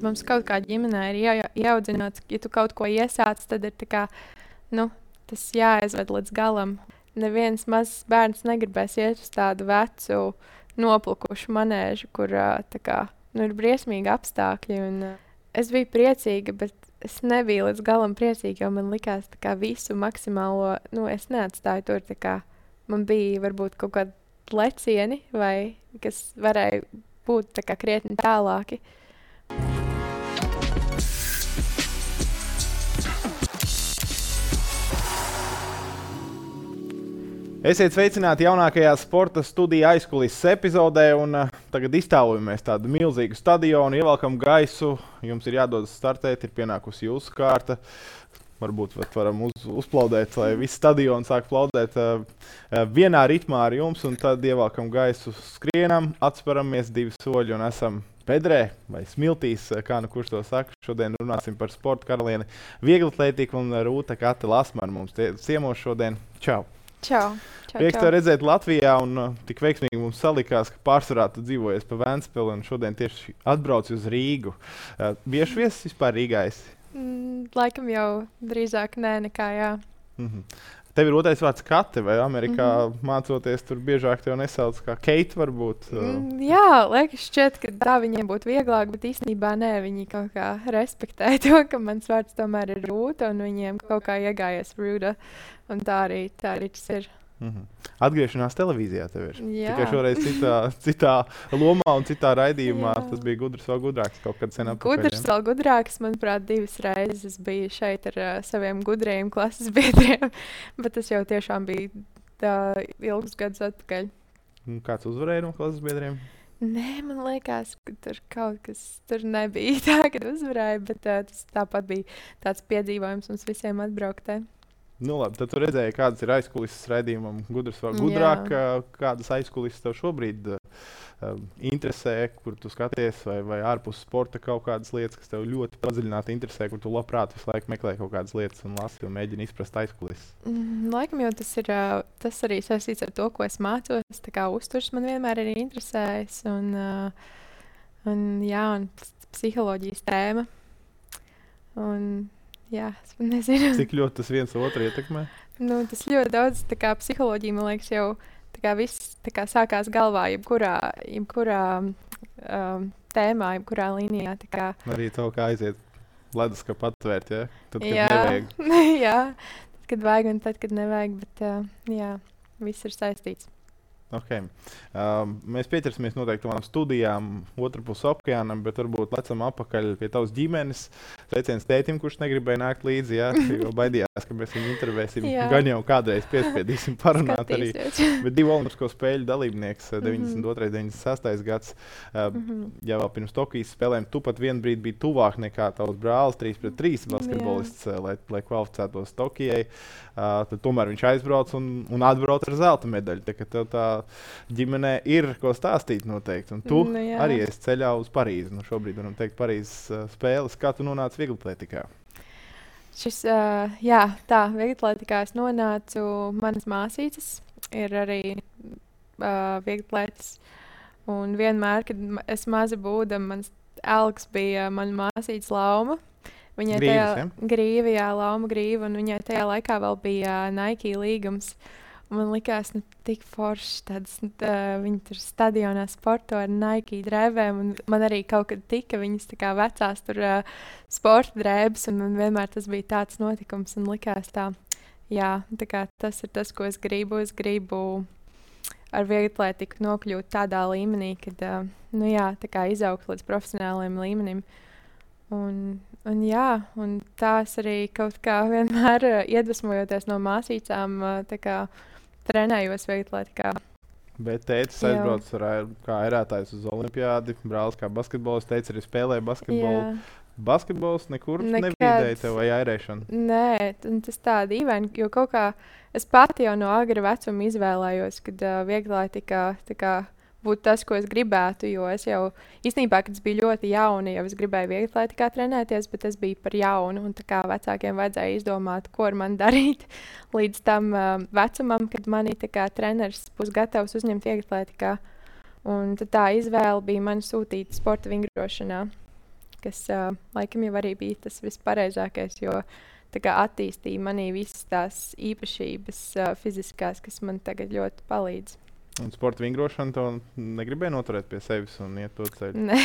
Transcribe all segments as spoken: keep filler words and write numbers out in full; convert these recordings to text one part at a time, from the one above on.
mums kaut kā ģimenē ir jā, ieaudzināts, ja tu kaut ko iesāc, tad ir tā kā, nu, tas jāaizved līdz galam. Neviens mazs bērns negribēs iet uz tādu vecu, noplukušu manēžu, kur tā kā, nu, ir briesmīgi apstākļi. Un, es biju priecīga, bet es nebiju līdz galam priecīga, jo man likās tā kā visu maksimālo, nu, es neatstāju tur, tā kā man bija varbūt kaut kādi lecieni, vai kas varēja būt tā kā krietni tālāki. Esiet sveicināti jaunākajā sporta studija aizkulises epizodē, un uh, tagad iztāvojamies tādu milzīgu stadionu, ievelkam gaisu, jums ir jādodas startēt, ir pienākusi jūsu kārta. Varbūt varam uz, uzplaudēt, lai viss stadions sāk plaudēt uh, uh, vienā ritmā ar jums, un tad ievelkam gaisu, skrienam, atsparamies divi soļi un esam bedrē vai smiltīs, kā nu kurš to saka. Šodien runāsim par sporta karalieni vieglatlētiku, un Rūta Kate Lasmane mums tie, ciemos šodien. Čau! Čau! Čau, Prieks tev redzēt Latvijā, un uh, tik veiksmīgi mums salikās, ka pārsvarā tu dzīvojies pa Ventspili, un šodien tieši atbrauci uz Rīgu. Uh, bieži viesis vispār Rīgā esi? Mm, laikam jau drīzāk nē, nekā jā. Mm-hmm. Tev ir otrais vārds Kate, vai Amerikā mm-hmm. mācoties tur biežāk tev nesauc kā Keita varbūt? Mm, jā, liekas šķiet, ka tā viņiem būtu vieglāk, bet īstenībā nē, viņi kaut kā respektē to, ka mans vārds tomēr ir Rūta, un viņiem kaut kā iegājies Rūta, un tā arī, tā arī tas ir. Mm-hmm. Atgriešanās televīzijā tev ir. Jā. Tikai šoreiz citā, citā lomā un citā raidījumā. Jā. Tas bija gudrs vēl gudrāks kaut kad sen atpakaļ. Gudrs vēl gudrāks, manuprāt, divas reizes es biju šeit ar uh, saviem gudrajiem klases biedriem, bet tas jau tiešām bija tā ilgus gadus atpakaļ. Un kāds uzvarēja no klases biedriem? Nē, man liekas, ka tur kaut kas tur nebija tā, kad uzvarēja, bet uh, tas tāpat bija tāds piedzīvojums mums visiem atbrauktē. Nu labi, tad tu redzēji, kādas ir aizkulises raidījumam gudrs vēl gudrāk. Jā. Kādas aizkulises tev šobrīd uh, interesē, kur tu skaties, vai, vai ārpus sporta kaut kādas lietas, kas tev ļoti padziļināti interesē, kur tu labprāt visu laiku meklē kaut kādas lietas un lasi un mēģini izprast aizkulises? Mm, laikam jau tas ir uh, tas arī saistīts ar to, ko es mācos. Tā kā uzturs man vienmēr ir interesējis un, uh, un, jā, un psiholoģijas tēma. Un, jā, es nezinu. Cik ļoti tas viens otru ietekmē? Nu, tas ļoti daudz, tā kā psiholoģija, man liekas, jau tā kā viss tā kā sākās galvā, jebkurā, jebkurā um, tēmā, jebkurā līnijā. Tā kā... Arī to, kā aiziet leduskapu atvērt, ja? Tad, kad jā. nevajag. jā, tad, kad vajag un tad, kad nevajag, bet uh, jā, viss ir saistīts. Okay. Um, mēs pieķersimies noteikti tām studijām otrpus okeānam, bet varbūt lecam apakaļ pie tavas ģimenes. Sveiciens tētim, kurš negribēja nākt līdzi, jā, jo baidījās, ka mēs viņu intervēsim. Gan jau kādreiz piespiedīsim parunāt arī. Bet divu olimpisko spēļu dalībnieks, deviņdesmit otrais deviņdesmit sestais gads, uh, mm-hmm. jau vēl pirms Tokijas spēlēm, tu pat vienu brīdi biji tuvāk nekā tavs brālis, trīs pret trīs basketbolists, uh, lai, lai kvalificētos Tokijai. Uh, tad tomēr viņš aizbrauc un, un atbrauc ar zelta medaļu. Tā, ka tev tā ģimenē ir ko stāstīt noteikti. Un tu nu, arī esi ceļā uz Parīzi. Nu, šobrīd varam teikt Parīzes uh, spēles. Kā tu nonāci vieglatlētikā? Šis, uh, jā, tā, vieglatlētikā es nonācu, manas māsītes ir arī uh, vieglatlētis. Un vienmēr, kad es maza būdam, mans elks bija mana māsītes Lauma. Viņai Grīvis, tajā ja? grīvi, jā, Lauma grīva, un viņai tajā laikā vēl bija uh, Nike līgums. Un man likās, nu, tik forši tāds, tā, viņi tur stadionā sporto ar Nike drēbēm, un man arī kaut kad tika viņas tā kā vecās tur uh, sporta drēbes, un man vienmēr tas bija tāds notikums, un likās tā, jā, tā kā tas ir tas, ko es gribu, es gribu ar vieglatlētiku nokļūt tādā līmenī, kad, uh, nu jā, tā kā izaugt līdz profesionāliem līmenim. Un, un jā, un tās arī kaut kā vienmēr uh, iedvesmojoties no māsīcām, uh, tā kā trenējos vieglatlētikā. Bet tētis aizbrauc ar, kā ērētājs uz olimpiādi, brālis kā basketbolists, teica arī spēlēja basketbolu. Jā. Basketbols nekur Nekad. Nebīdēja tev vai airēšana? Nē, tas tā dīvaini, jo kaut kā es pati jau no agra vecuma izvēlējos, kad uh, vieglatlētikā tā kā būtu tas, ko es gribētu, jo es jau īstenībā, kad es biju ļoti jauna, jau es gribēju vieglatlētikā trenēties, bet es biju par jaunu, un tā kā vecākiem vajadzēja izdomāt, ko ar mani darīt līdz tam uh, vecumam, kad mani tā kā treneris būs gatavs uzņemt vieglatlētikā. Un tad tā izvēle bija man sūtīt sporta vingrošanā. kas uh, laikam jau arī bija tas vispareizākais, jo tā kā attīstīja manī visas tās īpašības uh, fiziskās, kas man tagad ļoti palīdz. Un sporta vingrošana to negribēja noturēt pie sevis un iet to ceļu? Ne.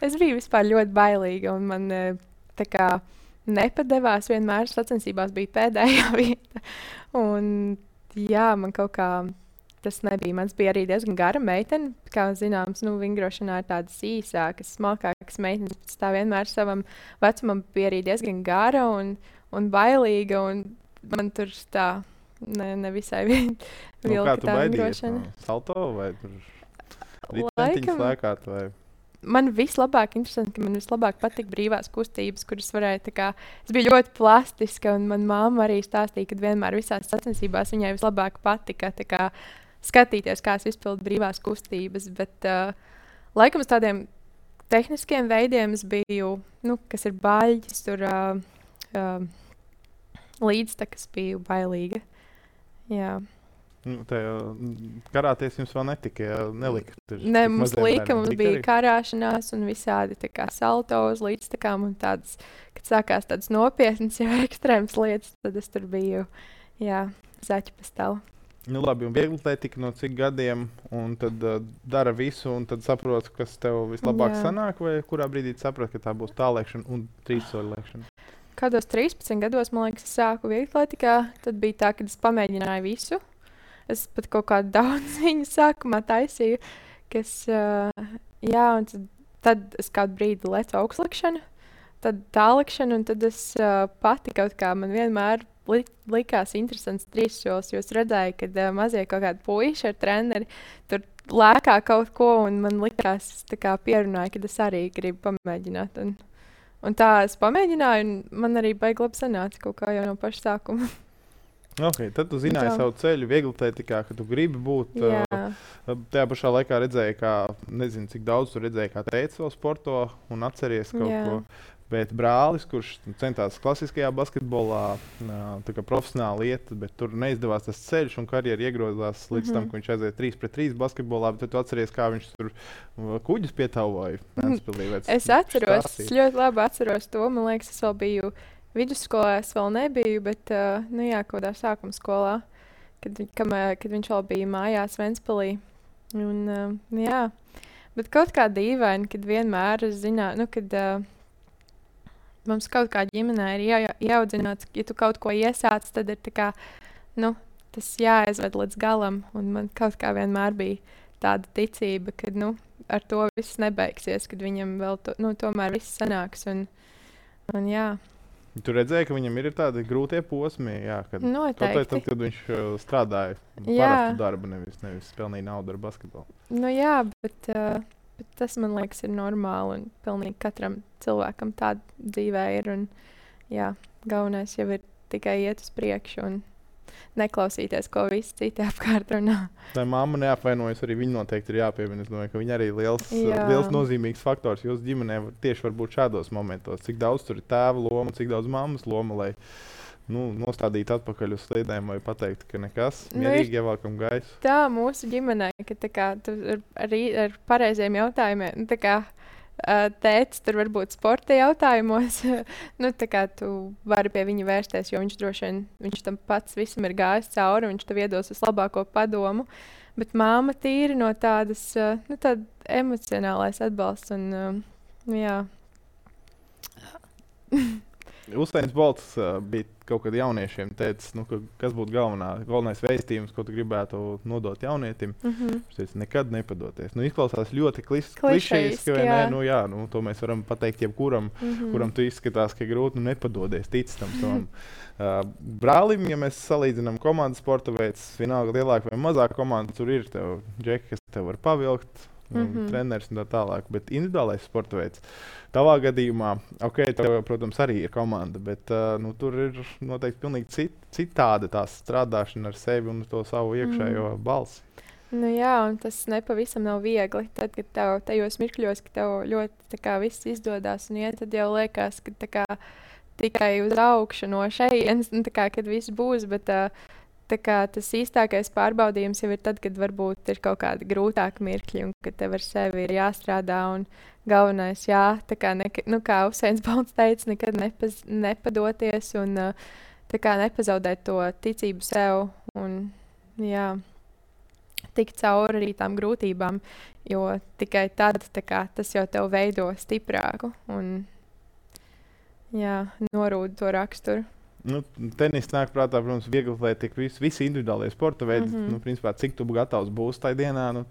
Es biju vispār ļoti bailīga, un man uh, tā kā nepadevās. Vienmēr sacensībās bija pēdējā vieta. Un, jā, man kaut kā tas nebija. Mans bija arī diezgan gara meitene. Kā zināms, nu, vingrošanā ir tādas īsākas, smalkākas meitenes. Bet tā vienmēr savam vecumam bija arī diezgan gara un, un bailīga. Un man tur tā ne, nevisai vilka Nu, kā tu tā baidījies? vingrošana. No salto vai tur ritentiņas Laikam- lēkāt? Vai? Man vislabāk, interesanti, ka man vislabāk patīk brīvās kustības, kuras varēja tā kā. Es biju ļoti plastiska, un manā māte arī stāstīja, ka vienmēr visās sacensībās viņai vislabāk patika tā kā skatīties, kā es izpildu brīvās kustības. Bet, uh, laikam, uz tādiem tehniskiem veidiem es biju, nu, kas ir baļķis, tur uh, uh, līdztekas biju bailīga. Jā. Nu, tajā karāties jums vēl netika, ja nelika. Tur Ne, tik mums maziem lika, bērniem. mums Tika bija arī? karāšanās un visādi tā kā salto uz līdztekām un tādas, kad sākās tādas nopietnas jau ekstrēmas lietas, tad es tur biju, jā, zaķu pastāvu. Nu, labi, un viegli atletika no cik gadiem, un tad uh, dara visu, un tad saprot, kas tev vislabāk Jā. sanāk, vai kurā brīdī tu saproti, ka tā būs tālēkšana un trīssoļu lēkšana? Kādos trīspadsmit gados, man liekas, es sāku vieglatlētikā, tad bija tā, ka es pamēģināju visu. Es pat kaut kādu daudz viņu sākumā taisīju, kas, uh, jā, un tad, tad es kādu brīdi lecu augstlikšanu, tad tālākšanu, un tad es uh, pati kaut kā man vienmēr li likās interesants trīssolis, jo es redzēju, ka uh, mazie kaut kādi puiši ar treneri tur lēkā kaut ko, un man likās, tā kā pierunāja, ka es arī gribu pamēģināt. Un, un tā es pamēģināju, un man arī baigi labi sanāca kaut kā jau no paša sākuma. Okay, tad tu zināji Tā. savu ceļu vieglatlētikā, ka tu gribi būt. Jā. Uh, tajā pašā laikā redzēji, kā, nezinu, cik daudz tu redzēji, kā teica vēl sporto un atceries kaut Jā. ko. Bet brālis, kurš centās klasiskajā basketbolā, uh, tā kā profesionāli iet, bet tur neizdevās tas ceļš un karjera iegrozās līdz Mhm. tam, ka viņš aiziet trīs pret trīs basketbolā, bet tad tu atceries, kā viņš tur uh, kuģus pietauvoja. Mhm. Es atceros, es ļoti labi atceros to. Man liekas, es vēl biju vidusskolā, es vēl nebiju, bet, uh, nu jā, kaut kādā sākuma skolā, kad, vi- kamē, kad viņš vēl bija mājās Ventspilī. Un, uh, jā, bet kaut kā dīvaini, kad vienmēr es zināju, nu, kad uh, mums kaut kā ģimenē ir jā, jāaudzināts, ja tu kaut ko iesāc, tad ir tā kā, nu, tas jāaizved līdz galam, un man kaut kā vienmēr bija tāda ticība, ka, nu, ar to viss nebeigsies, kad viņam vēl, to, nu, tomēr viss sanāks, un, un jā, Tu redzēji, ka viņam ir tādi grūtie posmi, jā, kad, kaut vai noteikti. tad, kad viņš uh, strādāja Jā. parastu darbu, nevis, nevis pelnīja naudu ar basketbolu. Nu jā, bet, uh, bet tas, man liekas, ir normāli, un pilnīgi katram cilvēkam tāda dzīvē ir, un jā, galvenais jau ir tikai iet uz priekšu un neklausīties, ko visi citi apkārt runā. Tā mamma neapvainojas, arī viņa noteikti ir jāpiemina. Es domāju, ka viņa arī ir liels, Jā. liels nozīmīgs faktors jūsu ģimenē var- tieši varbūt šādos momentos. Cik daudz tur ir tēva loma, cik daudz mammas loma, lai nu, nostādītu atpakaļ uz sliedēm vai pateikt, ka nekas, Nu, ir- mierīgi ievelkam gaisu. Tā mūsu ģimenē, ka tā kā, tu ar, arī ar pareiziem jautājumiem, nu, tā kā ā, tētis tur varbūt sporta jautājumos, nu, tā kā tu vari pie viņa vērsties, jo viņš droši vien, viņš tam pats visam ir gājis cauri, viņš tev iedos vislabāko padomu, bet māma tīri no tādas, ā, nu, tāda emocionālais atbalsts un, ā, nu, jā. Uztains Bolts uh, bija kaut kad jauniešiem teicis, nu, ka, kas būtu galvenā, galvenais vēstījums, ko tu gribētu nodot jaunietim. Mhm. Viņš teica, nekad nepadoties. Nu, izklausās ļoti klis- Klišejiski, klišejiski, vai ne? jā. Nu, jā, nu, to mēs varam pateikt jebkuram, Mhm. kuram tu izskatās, ka ir grūti, nu, nepadodies, tic tam savam uh, brālim. Ja mēs salīdzinām komandas sporta veids, vienalga lielāka vai mazāka komanda, tur ir tev džeki, kas tev var pavilkt, un Mhm. treneris un tā tālāk. Bet individuālais sporta veids, tavā gadījumā, ok, tev, protams, arī ir komanda, bet uh, nu, tur ir noteikti pilnīgi cit, citāda tā strādāšana ar sevi un to savu iekšējo Mhm. balsi. Nu jā, un tas nepavisam nav viegli. Tad, kad tev tajos mirkļos, ka tev ļoti tā kā, viss izdodas un iet, tad jau liekas, ka tā kā, tikai uz augšu no šejienes, nu, tā kā, kad viss būs. Bet uh, tā kā tas īstākais pārbaudījums jau ir tad, kad varbūt ir kaut kādi grūtāki mirkļi un kad tev ar sevi ir jāstrādā. Un galvenais, jā, tā kā, neka, nu, kā Usains Bolts teica, nekad nepaz, nepadoties un uh, tā kā nepazaudēt to ticību sev un, jā, tikt cauri arī tām grūtībām, jo tikai tad tā kā, tas jau tev veido stiprāku un, jā, norūda to raksturu. Nu, tenis nāk prātā, protams, viegli atlētika, visi, visi individuālie sporta veidi. Mm -hmm. nu, principā, cik tu gatavs būsi tajā dienā, nu,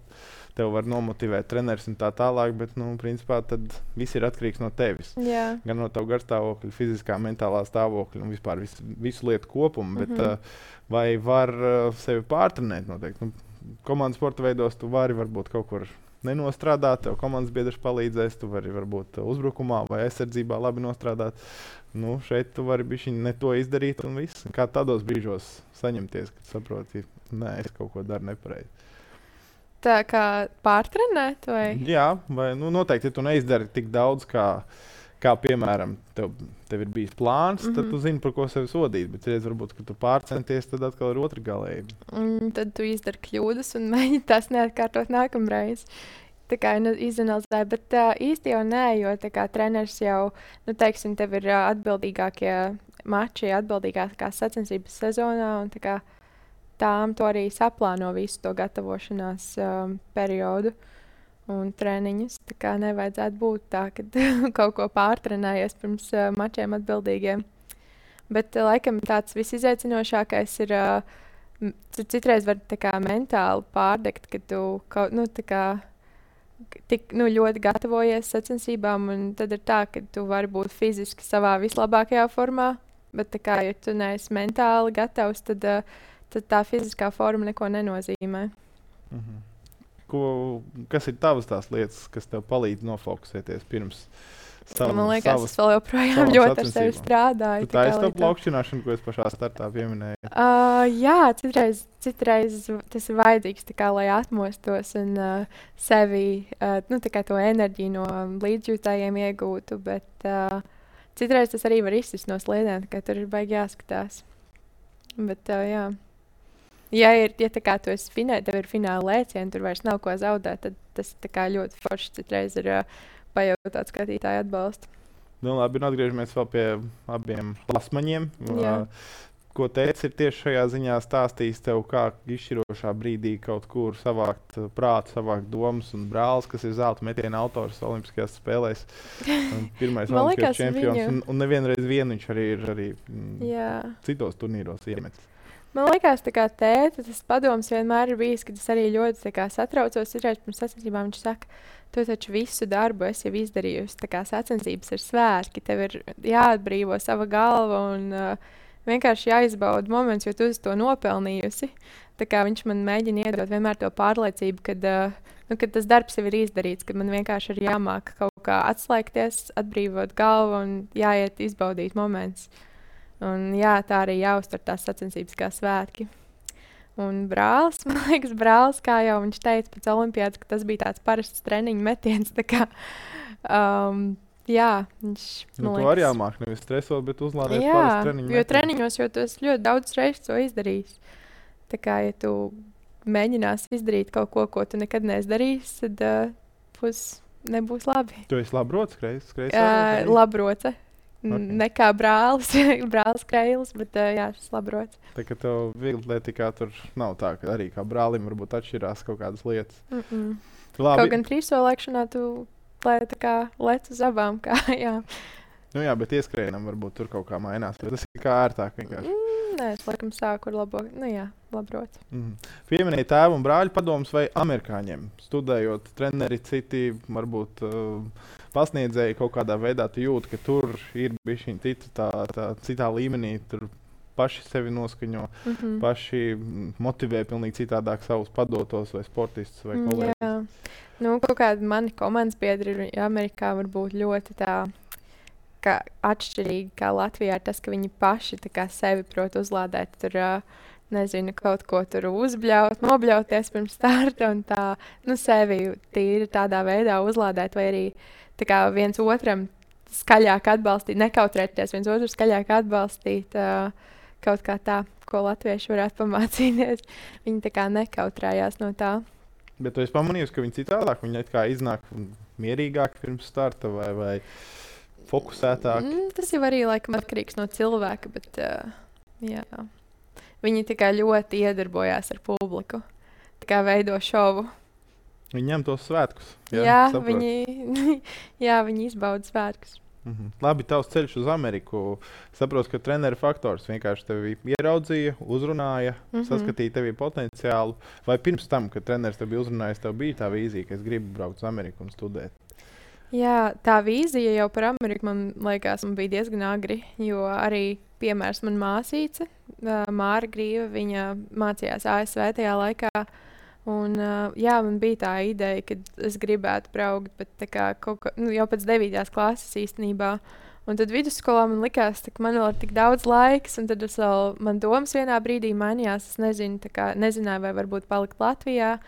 tev var nomotivēt treneris un tā tālāk, bet nu, principā, tad viss ir atkarīgs no tevis. Jā. Gan no tava garstāvokļa, fiziskā, mentālā stāvokļa un vispār visu, visu lietu kopumu. Bet, mm -hmm. uh, vai var uh, sevi pārtrenēt noteikti? Nu, komandas sporta veidos tu vari varbūt kaut kur nenostrādāt, tev komandas biedrs palīdzēs, tu vari varbūt uzbrukumā vai aizsardzībā labi nostrādāt. Nu, šeit tu vari bišķiņ ne to izdarīt un viss. Kā tādos brīžos saņemties, kad saproti, nē, es kaut ko daru nepareizi. Tā kā pārtrenēt vai? Jā, vai nu, noteikti, ja tu neizdari tik daudz, kā, kā piemēram, tev, tev ir bijis plāns, mm -hmm. tad tu zini, par ko sevi sodīt. Bet, ja varbūt, kad tu pārcenties, tad atkal ir otra galēji. Mm, tad tu izdari kļūdas un mēģini tās neatkārtot nākamreiz. Tā kā nu, izanalizēja, bet uh, īsti jau nē, jo tā kā treneris jau, nu, teiksim, tev ir uh, atbildīgākie mači, atbildīgākās sacensības sezonā, un tā kā tām to arī saplāno visu to gatavošanās um, periodu un treniņus. Tā kā nevajadzētu būt tā, ka kaut ko pārtrenējies pirms uh, mačiem atbildīgiem. Bet uh, laikam tāds visizaicinošākais ir, uh, citreiz var tā kā mentāli pārdegt, ka tu kaut, nu, tā kā tik nu, ļoti gatavojies sacensībām, un tad ir tā, ka tu vari būt fiziski savā vislabākajā formā, bet tā kā, ja tu neesi mentāli gatavs, tad, uh, tad tā fiziskā forma neko nenozīmē. Mhm. Ko, kas ir tavas tās lietas, kas tev palīdz nofokusēties pirms savam, Man liekas, savas, es vēl joprojām ļoti ar sevi strādāju. Tā ir tā plaukšķināšana, ko es pašā startā pieminēju. Uh, jā, citreiz, citreiz tas ir vajadzīgs, tā kā, lai atmostos un uh, sevi, uh, nu, tā kā to enerģiju no līdzjūtājiem iegūtu, bet uh, citreiz tas arī var izsist no sliedēm, ka tur ir baigi jāskatās. Bet, uh, jā. Ja, ir, ja tā kā tu esi finē, tev ir fināla lēcieni, tur vairs nav ko zaudēt, tad tas tā kā ļoti forši citreiz ir uh, pajautāt skatītāju atbalstu. Nu, labi, un atgriežamies vēl pie abiem lasmaņiem. Jā. Uh, ko teicis ir tieši šajā ziņā stāstījis tev, kā izšķirošā brīdī kaut kur savākt uh, prātu, savākt domas, un brālis, kas ir zelta metiena autors Olimpiskajās spēlēs. Pirmais olimpiskais čempions, viņu... un, un nevienreiz vien viņš arī ir arī, mm, citos turnīros iemetis. Man liekas, tā kā tēta, tas padoms vienmēr ir bijis, ka es arī ļoti tā kā satraucos. Citreiz pirms sacensībām viņš saka, tu taču visu darbu esi jau izdarījusi. Tā kā sacensības ir svētki, tev ir jāatbrīvo sava galva un uh, vienkārši jāizbauda moments, jo tu esi to nopelnījusi. Tā kā viņš man mēģina iedot vienmēr to pārliecību, kad, uh, nu, kad tas darbs jau ir izdarīts, kad man vienkārši ir jāmāk kaut kā atslēgties, atbrīvot galvu un jāiet izbaudīt moments. Un, jā, tā arī jāuztver tās sacensības kā svētki. Un brālis, man liekas, brālis, kā jau viņš teica pēc olimpiādas, ka tas bija tāds parasts treniņu metiens. Tā kā, um, jā, viņš, nu, man liekas... To arī jāmāk, nevis stresot, bet uzlādēt jā, parastu treniņu metienu. Jo treniņos, jo tu esi ļoti daudz reizes to izdarījis. Tā kā, ja tu mēģinās izdarīt kaut ko, ko tu nekad neesi darījis, tad uh, būs, nebūs labi. Tu esi labrots, skreiz? skreiz uh, labroce. Okay. Ne kā brālis, brālis Kreilis, bet uh, jā, šis labrots. Tā kā tev vieglatlētikā tur nav tā, ka arī kā brālim varbūt atšķirās kaut kādas lietas. Mm -mm. Labi. Kaut gan trīssolēkšanā tu lē, tā kā lec uz abām. Kā, jā. Nu jā, bet ieskrējienam varbūt tur kaut kā mainās. Tas ir kā ērtāk vienkārši. Mm, nē, es laikam sāku ar labo, nu jā, labrots. Mm. Pieminēja tēvu un brāļu padomus vai amerikāņiem. Studējot treneri citi, varbūt uh, pasniedzēji kaut kādā veidā, tu jūti, ka tur ir bišķiņ cita, tā, tā, citā līmenī. Tur paši sevi noskaņo, mm -hmm. paši motivē pilnīgi citādāk savus padotos vai sportistus vai kolēģus. Jā, nu kaut kādi mani komandas biedri Amerikā var būt ļoti tā, ka atšķirīgi kā Latvijā ir tas, ka viņi paši tā kā sevi prot uzlādēt. Tur, uh, nezinu, kaut ko tur uzbļaut, nobļauties pirms starta un tā, nu, sevi tīri tādā veidā uzlādēt vai arī tā kā viens otram skaļāk atbalstīt, nekautrēties viens otru skaļāk atbalstīt, uh, kaut kā tā, ko latvieši varētu pamācīties. Viņi tā kā nekautrējās no tā. Bet tu esi pamanījusi, ka viņi citādāk, viņi it kā iznāk mierīgāk pirms starta vai, vai fokusētāk? Mm, tas jau arī laikam atkarīgs no cilvēka, bet uh, jā. Viņi tikai ļoti iedarbojās ar publiku. Tā kā veido šovu. Viņi ņem tos svētkus. Jā, jā, viņi, jā viņi izbauda svētkus. Mhm. Labi, tavs ceļš uz Ameriku. Saprotu, ka treneru faktors vienkārši tevi ieraudzīja, uzrunāja, mm -hmm. saskatīja tevi potenciālu. Vai pirms tam, kad treneris tevi uzrunāja, tev bija tā vīzija, ka es gribu braukt uz Ameriku un studēt? Jā, tā vīzija jau par Ameriku man liekas, man bija diezgan agri, jo arī, piemērs, man māsīca, Māra Grīva, viņa mācījās A S V tajā laikā. Un, uh, jā, man bija tā ideja, ka es gribētu braukt, bet tā kā kaut kā, nu, jau pēc devītās klases īstenībā. Un tad vidusskolā man likās, ka man vēl ir tik daudz laiks, un tad es vēl, man domas vienā brīdī mainījās. Es nezinu, tā kā, nezināju, vai varbūt palikt Latvijā,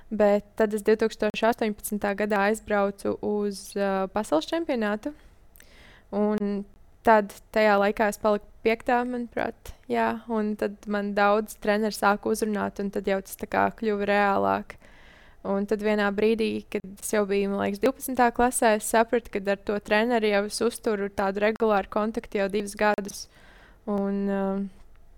bet tad es divtūkstoš astoņpadsmitā gadā aizbraucu uz uh, pasaules čempionātu. Un tad tajā laikā es paliku piektā, manuprāt, jā, un tad man daudz treneri sāka uzrunāt, un tad jau tas tā kā kļuva reālāk. Un tad vienā brīdī, kad es jau biju, man liekas, divpadsmitā klasē, es sapratu, ka ar to treneri jau es uzturu tādu regulāru kontaktu jau divus gadus. Un, uh,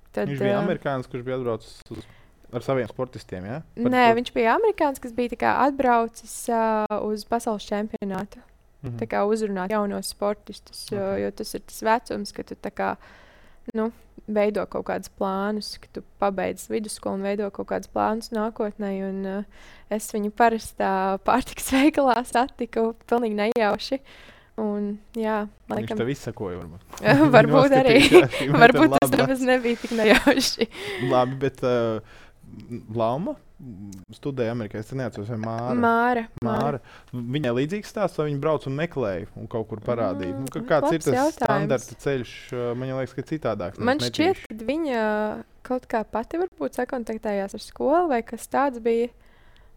tad, viņš bija uh, amerikānis, kurš bija atbraucis uz, ar saviem sportistiem, jā? Ja? Nē, to... viņš bija amerikānis, kas bija tā kā atbraucis uh, uz pasaules čempionātu. Mm-hmm. Tā kā uzrunāt jaunos sportistus, okay. jo, jo tas ir tas vecums, ka tu tā kā, nu, veido kaut kādus plānus, ka tu pabeidz vidusskolu un veido kaut kādus plānus nākotnē. Un, uh, es viņu parastā pārtikas veikalā satiku pilnīgi nejauši. Un, jā, laikam... Viņš tev izsakoja, varbūt. varbūt arī. varbūt tas nemaz nebija tik nejauši. Labi, bet uh, Lauma studēja Amerikā. Es neatceros, vai Māra. Māra. Māra. Viņai līdzīgs stāsts, vai viņa brauc un meklēja un kaut kur parādīja. Mm, nu, kāds ir tas jautājums. Standarta ceļš? Man liekas, ka citādāks. Man šķiet, ka viņa kaut kā pati varbūt sakontaktējās ar skolu vai kas tāds bija.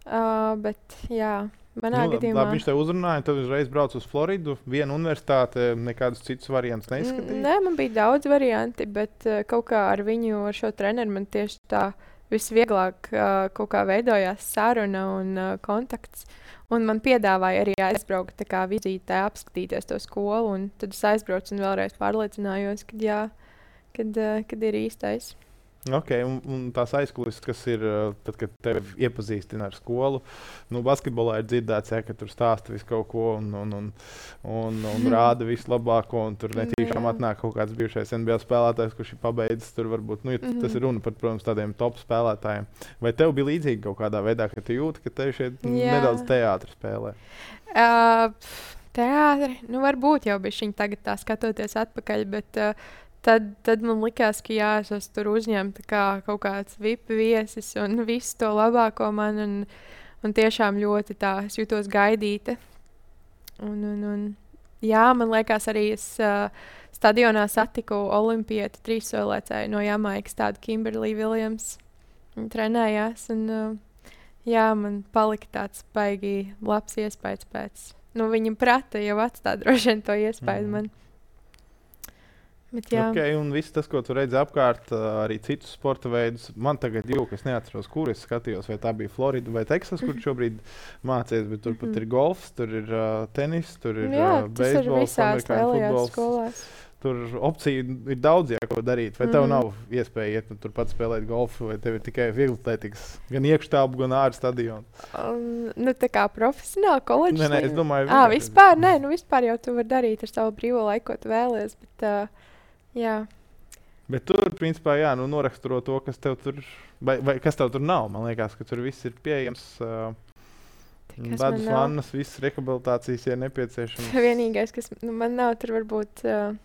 Uh, bet, jā, manā nu, gadījumā... Labi, viņš tev uzrunāja, tad uzreiz brauc uz Floridu. Viena universitāte, nekādus citus variantus neizskatīja? Nē, man bija daudz varianti, bet uh, kaut kā ar viņu, ar šo treneru man tieši tā visvieglāk uh, kaut kā veidojās saruna un uh, kontakts. Un man piedāvāja arī aizbraukt tā kā vizītē, apskatīties to skolu. Un tad es aizbraucu un vēlreiz pārliecinājos, kad, jā, kad, uh, kad ir īstais. Ok, un, un tās aizkulisēs, kas ir, tad, kad tevi iepazīstina ar skolu, nu, basketbolā ir dzirdēts, ja, ka tur stāsta visu kaut ko un, un, un, un, un rāda visu labāko, un tur netīšām atnāk kaut kāds bijušais N B A spēlētājs, kurš ir pabeidzis tur varbūt, nu, ja mm -hmm. tas ir runa par, protams, tādiem top spēlētājiem. Vai tev bija līdzīgi kaut kādā veidā, ka tu jūti, ka tev šeit Jā. nedaudz teātri spēlē? Uh, teātri, nu, varbūt jau bija viņa tagad tā skatoties atpakaļ, bet... Uh, Tad, tad man likās, ka jā, es esmu tur uzņemta kā kaut kāds V I P viesis un visu to labāko man. Un, un tiešām ļoti tā, es jūtos gaidīta. Un, un, un, jā, man liekas, arī es uh, stadionā satiku olimpieti trīssoļlecēju no Jamaikas, tādu Kimberly Williams. Viņa trenējās. Un, uh, jā, man palika tāds baigi labs iespējas pēc. Nu, viņa prata jau atstāja droši vien to iespēju mm. man. Bet, okay, un viss tas, ko tu redzi apkārt, arī citus sporta veidus. Man tagad jūka, es neatceros, kur es skatījos, vai tā bija Florida vai Teksas, kur šobrīd mācies, bet tur pat ir golfs, tur ir uh, tenis, tur ir Jā, uh, beisbols, amerikāņu futbols. Skolās. Tur opciju ir daudz, jā, ko darīt. Vai tev mm. nav iespēja iet un tur pats spēlēt golfu, vai tev ir tikai vieglatlētikas, gan iekštelpu, gan ārā stadionu? Um, nu, tā kā profesionāli koledžas? Nē, nē, es domāju, ah, vispār, nē, nu vispār jau tu vari darīt ar savu brīvo laiku, ko tu vēlies, bet... Uh, Jā. Bet tur, principā, jā, nu, noraksturo to, kas tev tur, vai, vai kas tev tur nav. Man liekas, ka tur viss ir pieejams. Uh, Ledus vannas, visas rehabilitācijas ir nepieciešamas. Vienīgais, kas nu, man nav, tur varbūt, uh,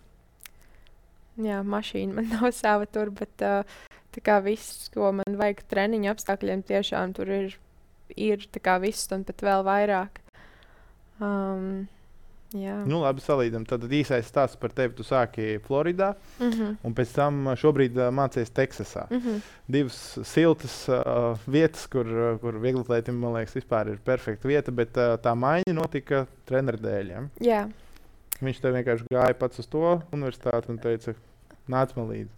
jā, mašīna man nav sava tur, bet uh, tā kā viss, ko man vajag treniņu apstākļiem, tiešām tur ir, ir tā kā viss un pat vēl vairāk. Um, Jā. Nu, labi, salīdzinām. Tad īsais stāsts par tevi. Tu sāki Floridā, mm -hmm. un pēc tam šobrīd uh, mācies Teksasā. Mm -hmm. Divas siltas uh, vietas, kur, uh, kur vieglatlētim, man liekas, vispār ir perfekta vieta, bet uh, tā maiņa notika treneru dēļ. Ja? Jā. Viņš tev vienkārši gāja pats uz to universitāti un teica, nāc man līdzi.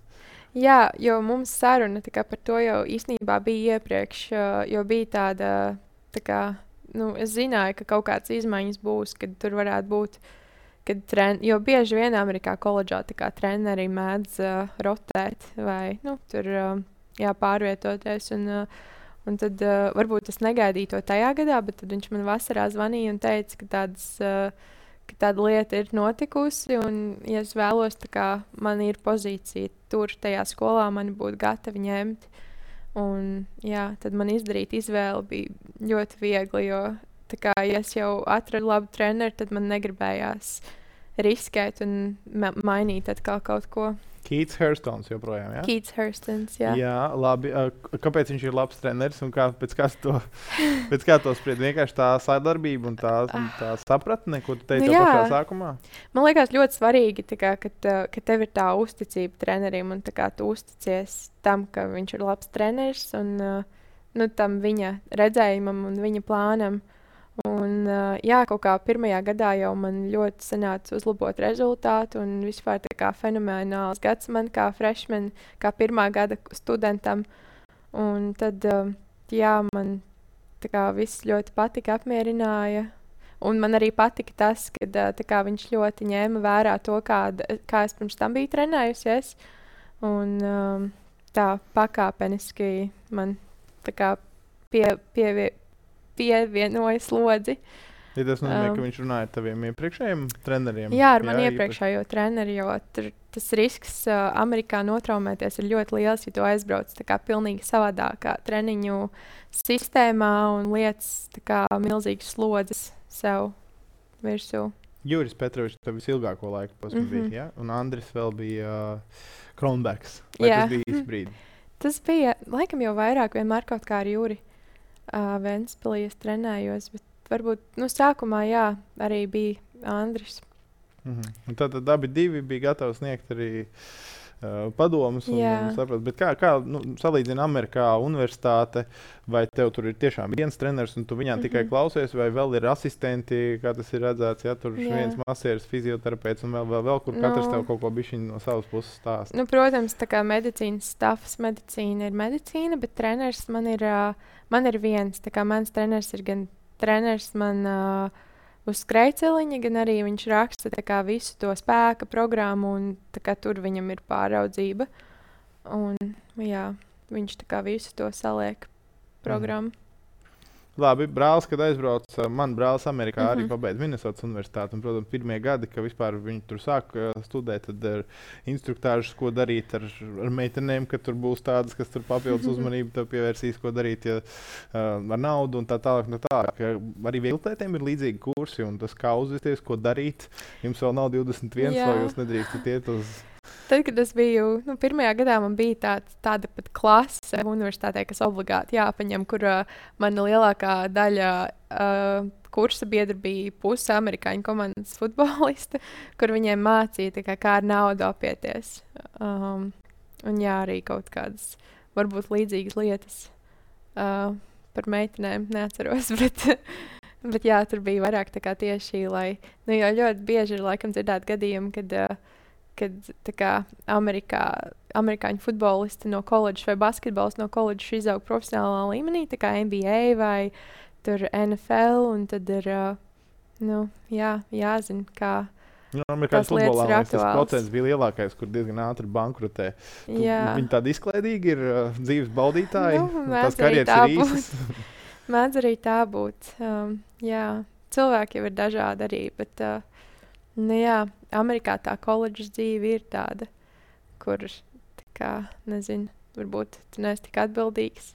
Jā, jo mums saruna tā kā, par to jau īstenībā bija iepriekš, uh, jo bija tāda, tā kā, nu, es zināju, ka kaut kādas izmaiņas būs, kad tur varētu būt, kad tren, jo bieži vien Amerikā koledžā tā kā treneri mēdz uh, rotēt vai, nu, tur, uh, jā, pārvietoties, un, uh, un tad uh, varbūt es negaidīju to tajā gadā, bet tad viņš man vasarā zvanīja un teica, ka tādas, uh, ka tāda lieta ir notikusi, un, ja es vēlos, tā kā man ir pozīcija tur, tajā skolā, mani būtu gatavi ņemt. Un, jā, tad man izdarīt izvēli bija ļoti viegli, jo, tā kā, ja es jau atradu labu treneru, tad man negribējās riskēt un ma mainīt atkal kaut ko. Keits Hurstons joprojām, jā? Keits Hurstons, jā. Jā, labi. Kāpēc viņš ir labs treneris un kā, pēc kā to, pēc kā to spried? Vienkārši tā sadarbība un tā, tā sapratne, ko tu teici Nu, jau jā. pašā sākumā? Man liekas ļoti svarīgi, tā kā, kad, uh, ka tev ir tā uzticība trenerim un tā kā tu uzticies tam, ka viņš ir labs treneris un uh, nu, tam viņa redzējumam un viņa plānam. Un, uh, jā, kaut kā pirmajā gadā jau man ļoti sanāca uzlabot rezultātu un vispār tā kā fenomenāls gads man kā freshman, kā pirmā gada studentam. Un tad, uh, jā, man tā kā viss ļoti patika, apmierināja. Un man arī patika tas, ka uh, tā kā viņš ļoti ņēma vērā to, kāda, kā es pirms tam biju trenējusies. Un um, tā pakāpeniski man tā kā pie, pievie, pievienoja slodzi. Ja tas nozīmē, Um, ka viņš runāja ar taviem iepriekšējiem treneriem? Jā, ar mani īpaši. iepriekšējo treneri, jo tur tas risks uh, Amerikā notraumēties ir ļoti liels, ja tu aizbrauc tā kā pilnīgi savādākā treniņu sistēmā un lietas tā kā milzīgas slodzes sev virsū. Juris Petrovičs tev visilgāko laiku posmu Mhm. bija, ja? Un Andris vēl bija uh, Kronbergs. Vai Jā. tas bija īsts brīdi? Tas bija, laikam jau vairāk vienmēr kaut kā ar Juri uh, Ventspilī es trenējos, bet varbūt, nu, sākumā, jā, arī bija Andris. Mhm. Un tad, tad abi divi bija gatavi sniegt arī uh, padomus. Un, Jā. un saprast, bet kā, kā nu, salīdzina Amerikā universitāte, vai tev tur ir tiešām viens treneris un tu viņā mm -hmm. tikai Mhm. klausies, vai vēl ir asistenti, kā tas ir redzēts, ja tur ir Jā. viens masieris, fizioterapeits un vēl, vēl, vēl kur katrs Nu. tev kaut ko bišķiņ no savas puses stāsta. Nu, protams, tā kā medicīnas stāvs, medicīna ir medicīna, bet treneris man ir, uh, man ir viens. Tā kā mans treneris ir gan treneris man uh, uz skrejceliņa, gan arī viņš raksta tā kā visu to spēka programmu, un tā kā tur viņam ir pāraudzība. Un, jā, viņš tā kā visu to saliek programmu. Labi, brālis, kad aizbrauca, man brālis Amerikā mm -hmm. arī Mhm. pabeidza Minnesotas universitāti. Un, protams, pirmie gadi, kad vispār viņi tur sāk uh, studēt, tad ir instruktāžas, ko darīt ar, ar meitenēm, ka tur būs tādas, kas tur papildus uzmanību tev pievērsīs, ko darīt ja, uh, ar naudu un tā tālāk. No tā, arī vieglotētiem ir līdzīgi kursi un tas, kā uzvesties, ko darīt. Jums vēl nav divdesmit viens, Jā. vai jūs nedrīkstat iet uz... Tad, kad es biju, nu, pirmajā gadā man bija tāds, tāda pat klase universitātē, kas obligāti jāpaņem, kur uh, mana lielākā daļa uh, kursa biedri bija puse amerikāņu komandas futbolista, kur viņiem mācīja, tā kā, kā ar naudu apieties. Um, un jā, arī kaut kādas varbūt līdzīgas lietas uh, par meitenēm neatceros, bet, bet jā, tur bija vairāk tā kā tieši, lai, nu, jo ļoti bieži ir laikam dzirdēt gadījumi, kad uh, kad tā kā Amerikā, amerikāņu futbolisti no koledžas vai basketbols no koledžas izaug profesionālā līmenī, tā kā N B A vai tur N F L, un tad ir, uh, nu, jā, jāzina, kā, Nu, Amerikāņu tās lietas futbolā ir man liekas, tas aktuāls. procents bija lielākais, kur diezgan ātri bankrotē. Tu, jā, viņi tādi izklaidīgi ir uh, dzīves baudītāji. Nu, un mēdz tās arī karjeras tā ir īsas. mēdz arī tā būt. Um, jā, cilvēki jau ir dažādi arī, bet, uh, nu jā, Amerikā tā koledžas dzīve ir tāda, kur, tā kā, nezinu, varbūt tu neesi tik atbildīgs.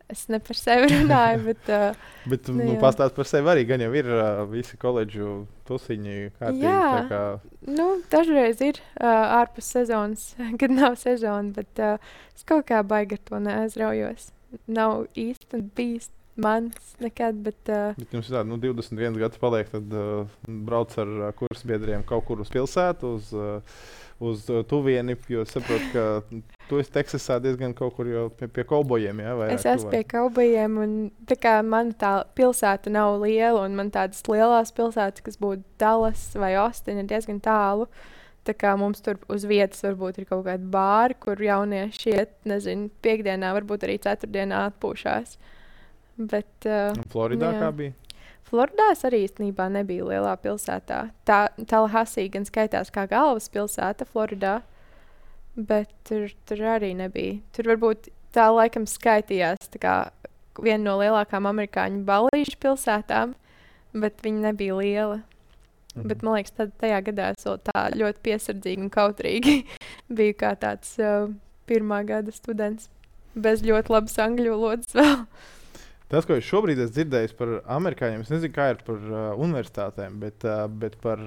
Es ne par sevi runāju, bet, uh, Bet tu Nu, nu, jā. pastāst par sevi arī, gan jau ir uh, visi koledžu tusiņi kārtīgi. tā Jā. kā- nu, dažreiz ir uh, ārpus sezonas, kad nav sezona, bet uh, es kaut kā baigi ar to neaizraujos. Nav īsti bijis mans nekad, bet uh, Bet jums ir tāda, nu, divdesmit viens gads paliek, tad uh, brauc ar uh, kursbiedriem kaut kur uz pilsētu, uz, uh, uz uh, tuvieni, jo es saprotu, ka tu esi Teksasā diezgan kaut kur jau pie, pie kaubojiem, jā? vairāk es esmu tuvāk. pie kaubajiem, un tā kā man tā pilsēta nav liela, un man tādas lielās pilsētas, kas būtu Dallas vai Austin, ir diezgan tālu. tā kā mums tur uz vietas varbūt ir kaut kādi bāri, kur jaunieši iet, nezinu, piekdienā, varbūt arī ceturtdienā atpūšās. Bet, uh, Floridā jā. kā bija? Floridā es arī īstenībā nebiju lielā pilsētā. Tā Tallahassee gan skaitās kā galvaspilsēta Floridā, bet tur, tur arī nebija. Tur varbūt tā laikam skaitījās tā kā viena no lielākām amerikāņu balīšu pilsētām, bet viņa nebija liela. Mm. Bet man liekas, tad tajā gadā es vēl tā ļoti piesardzīgi un kautrīgi biju kā tāds uh, pirmā gada students. Bez ļoti labas angļu valodas vēl. Tas, ko es šobrīd esmu dzirdējis par amerikāņiem, es nezinu, kā ir par uh, universitātēm, bet, uh, bet par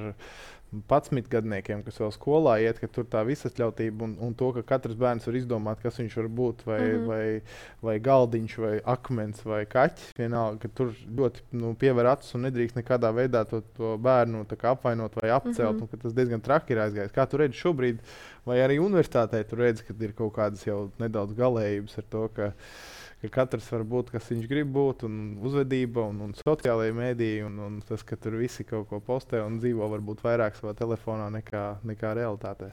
padsmitgadniekiem, kas vēl skolā iet, ka tur tā visatļautība un, un to, ka katrs bērns var izdomāt, kas viņš var būt, vai, mm-hmm. vai, vai galdiņš, vai akmens, vai kaķis, vienalga, ka tur ļoti nu, piever acis un nedrīkst nekādā veidā to, to bērnu tā kā apvainot vai apcelt, mm-hmm. un ka tas diezgan traki ir aizgājis. Kā tu redzi šobrīd, vai arī universitātē tu redzi, ka ir kaut kādas jau nedaudz galējības ar to, ka ka katrs var būt, kas viņš grib būt, un uzvedība, un, un sociālajie mēdīji, un, un tas, ka tur visi kaut ko postē un dzīvo varbūt vairāk savā telefonā nekā, nekā realitātē.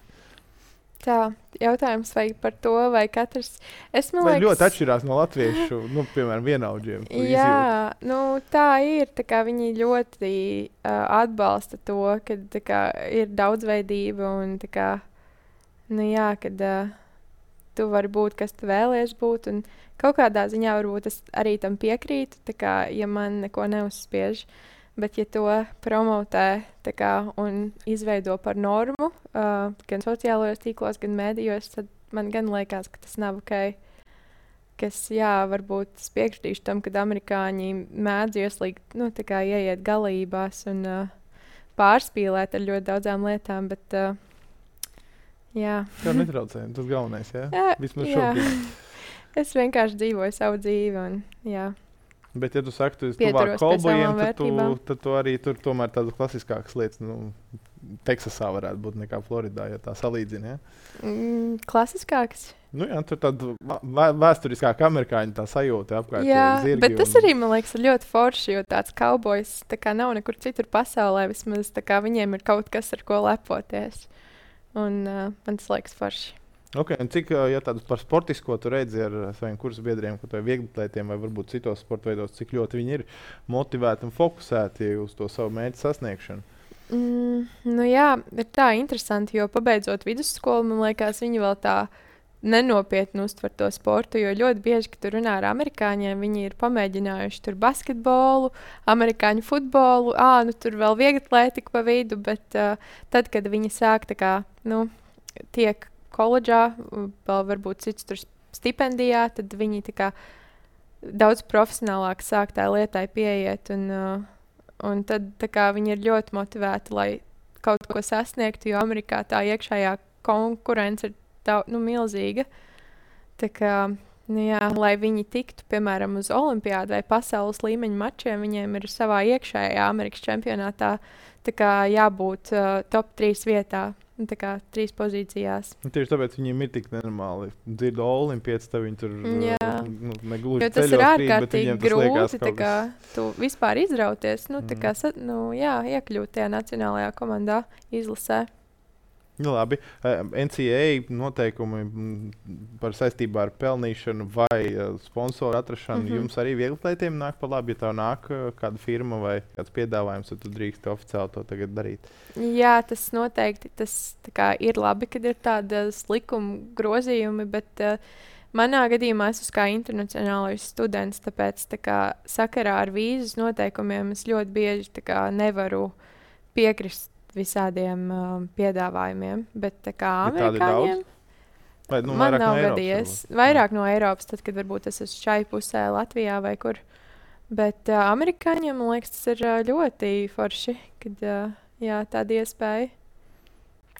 Tā, jautājums vai par to, vai katrs... Es, man vai liekas, ļoti atšķirās no latviešu, nu, piemēram, vienaudžiem. Jā, nu, tā ir. Tā kā viņi ļoti uh, atbalsta to, ka tā kā, ir daudzveidība un tā kā, nu jā, kad uh, tu vari būt, kas tu vēlies būt, un kaut kādā ziņā varbūt es arī tam piekrītu, tā kā, ja man neko neuzspiež, bet ja to promotē tā kā, un izveido par normu, uh, gan sociālajos tīklos, gan mēdījos, tad man gan liekas, ka tas nav ok. Kas, jā, varbūt es piekritīšu tam, kad amerikāņi mēdz ieslīgt, nu, tā kā ieiet galībās un uh, pārspīlēt ar ļoti daudzām lietām, bet, uh, jā. Tā netraucējumi, tas galvenais, jā? Jā, Vismaz jā. šobrīd. Es vienkārši dzīvoju savu dzīvi un, jā. Bet, ja tu saki, tu esi Pieturos tuvāk pie kolbojiem, savām tad tu, vērtībām. tad tu arī tur tomēr tādas klasiskākas lietas, nu, Teksasā varētu būt nekā Floridā, ja tā salīdzina, ja? Mm, klasiskāks. Nu jā, tur tāda vā- vēsturiskāka amerikāņu tā sajūta apkārt. Jā, tie zirgi bet tas un- arī, man liekas, ir ļoti forši, jo tāds kaubojs tā kā nav nekur citur pasaulē, vismaz tā kā viņiem ir kaut kas, ar ko lepoties. Un uh, man tas liekas forši. Ok, un cik, ā, ja tādu par sportisko tu redzi ar saviem kursu biedriem, kaut vai vieglatlētiem vai varbūt citos sporta veidos, cik ļoti viņi ir motivēti un fokusēti uz to savu mērķu sasniegšanu? Mm, nu jā, ir tā interesanti, jo pabeidzot vidusskolu, man liekas, viņi vēl tā nenopietni uztver to sportu, jo ļoti bieži, kad tu runā ar amerikāņiem, viņi ir pamēģinājuši tur basketbolu, amerikāņu futbolu, ā, nu tur vēl vieglatlētiku pa vidu, bet uh, tad, kad viņi sāk tā kā, nu, tiek koledžā, vēl varbūt cits tur stipendijā, tad viņi tā kā daudz profesionālāk sāk tā lietai pieiet, un, uh, un tad tā kā viņi ir ļoti motivēti, lai kaut ko sasniegtu, jo Amerikā tā iekšējā konkurence ir tā, nu, milzīga. Tā kā, nu jā, lai viņi tiktu, piemēram, uz olimpiādu vai pasaules līmeņa mačiem, viņiem ir savā iekšējā Amerikas čempionātā tā kā jābūt uh, top trīs vietā. Nu, tā kā trīs pozīcijās. Un tieši tāpēc viņiem ir tik nenormāli. Dzirdu olimpiāts, tad viņi tur Jā. nu, negluži Jo tas ceļos ir krīt, bet ārkārtīgi viņiem tas liekas grūti, tā kaut kā kas- tu vispār izrauties, nu, tā Mm. kā, sa- nu, jā, iekļūt tajā nacionālajā komandā, izlasē. Nu, labi. Eh, N C A A noteikumi mm, par saistībā ar pelnīšanu vai uh, sponsoru atrašanu Mhm. jums arī vieglatlētiem nāk pa labi, ja tev nāk uh, kāda firma vai kāds piedāvājums, tad tu drīkst oficiāli to tagad darīt. Jā, tas noteikti tas, tā kā, ir labi, kad ir tādas likuma grozījumi, bet uh, manā gadījumā es esmu kā internacionālais students, tāpēc tā kā, sakarā ar vīzas noteikumiem es ļoti bieži tā kā, nevaru piekrist visādiem uh, piedāvājumiem. Bet tā kā Bet tādi amerikāņiem Vai, nu, man vairāk nav no Eiropas gadījies. varbūt? Vairāk no Eiropas, tad, kad varbūt es esmu šai pusē, Latvijā vai kur. Bet uh, amerikāņiem, man liekas, tas ir uh, ļoti forši, kad uh, jā, tāda iespēja.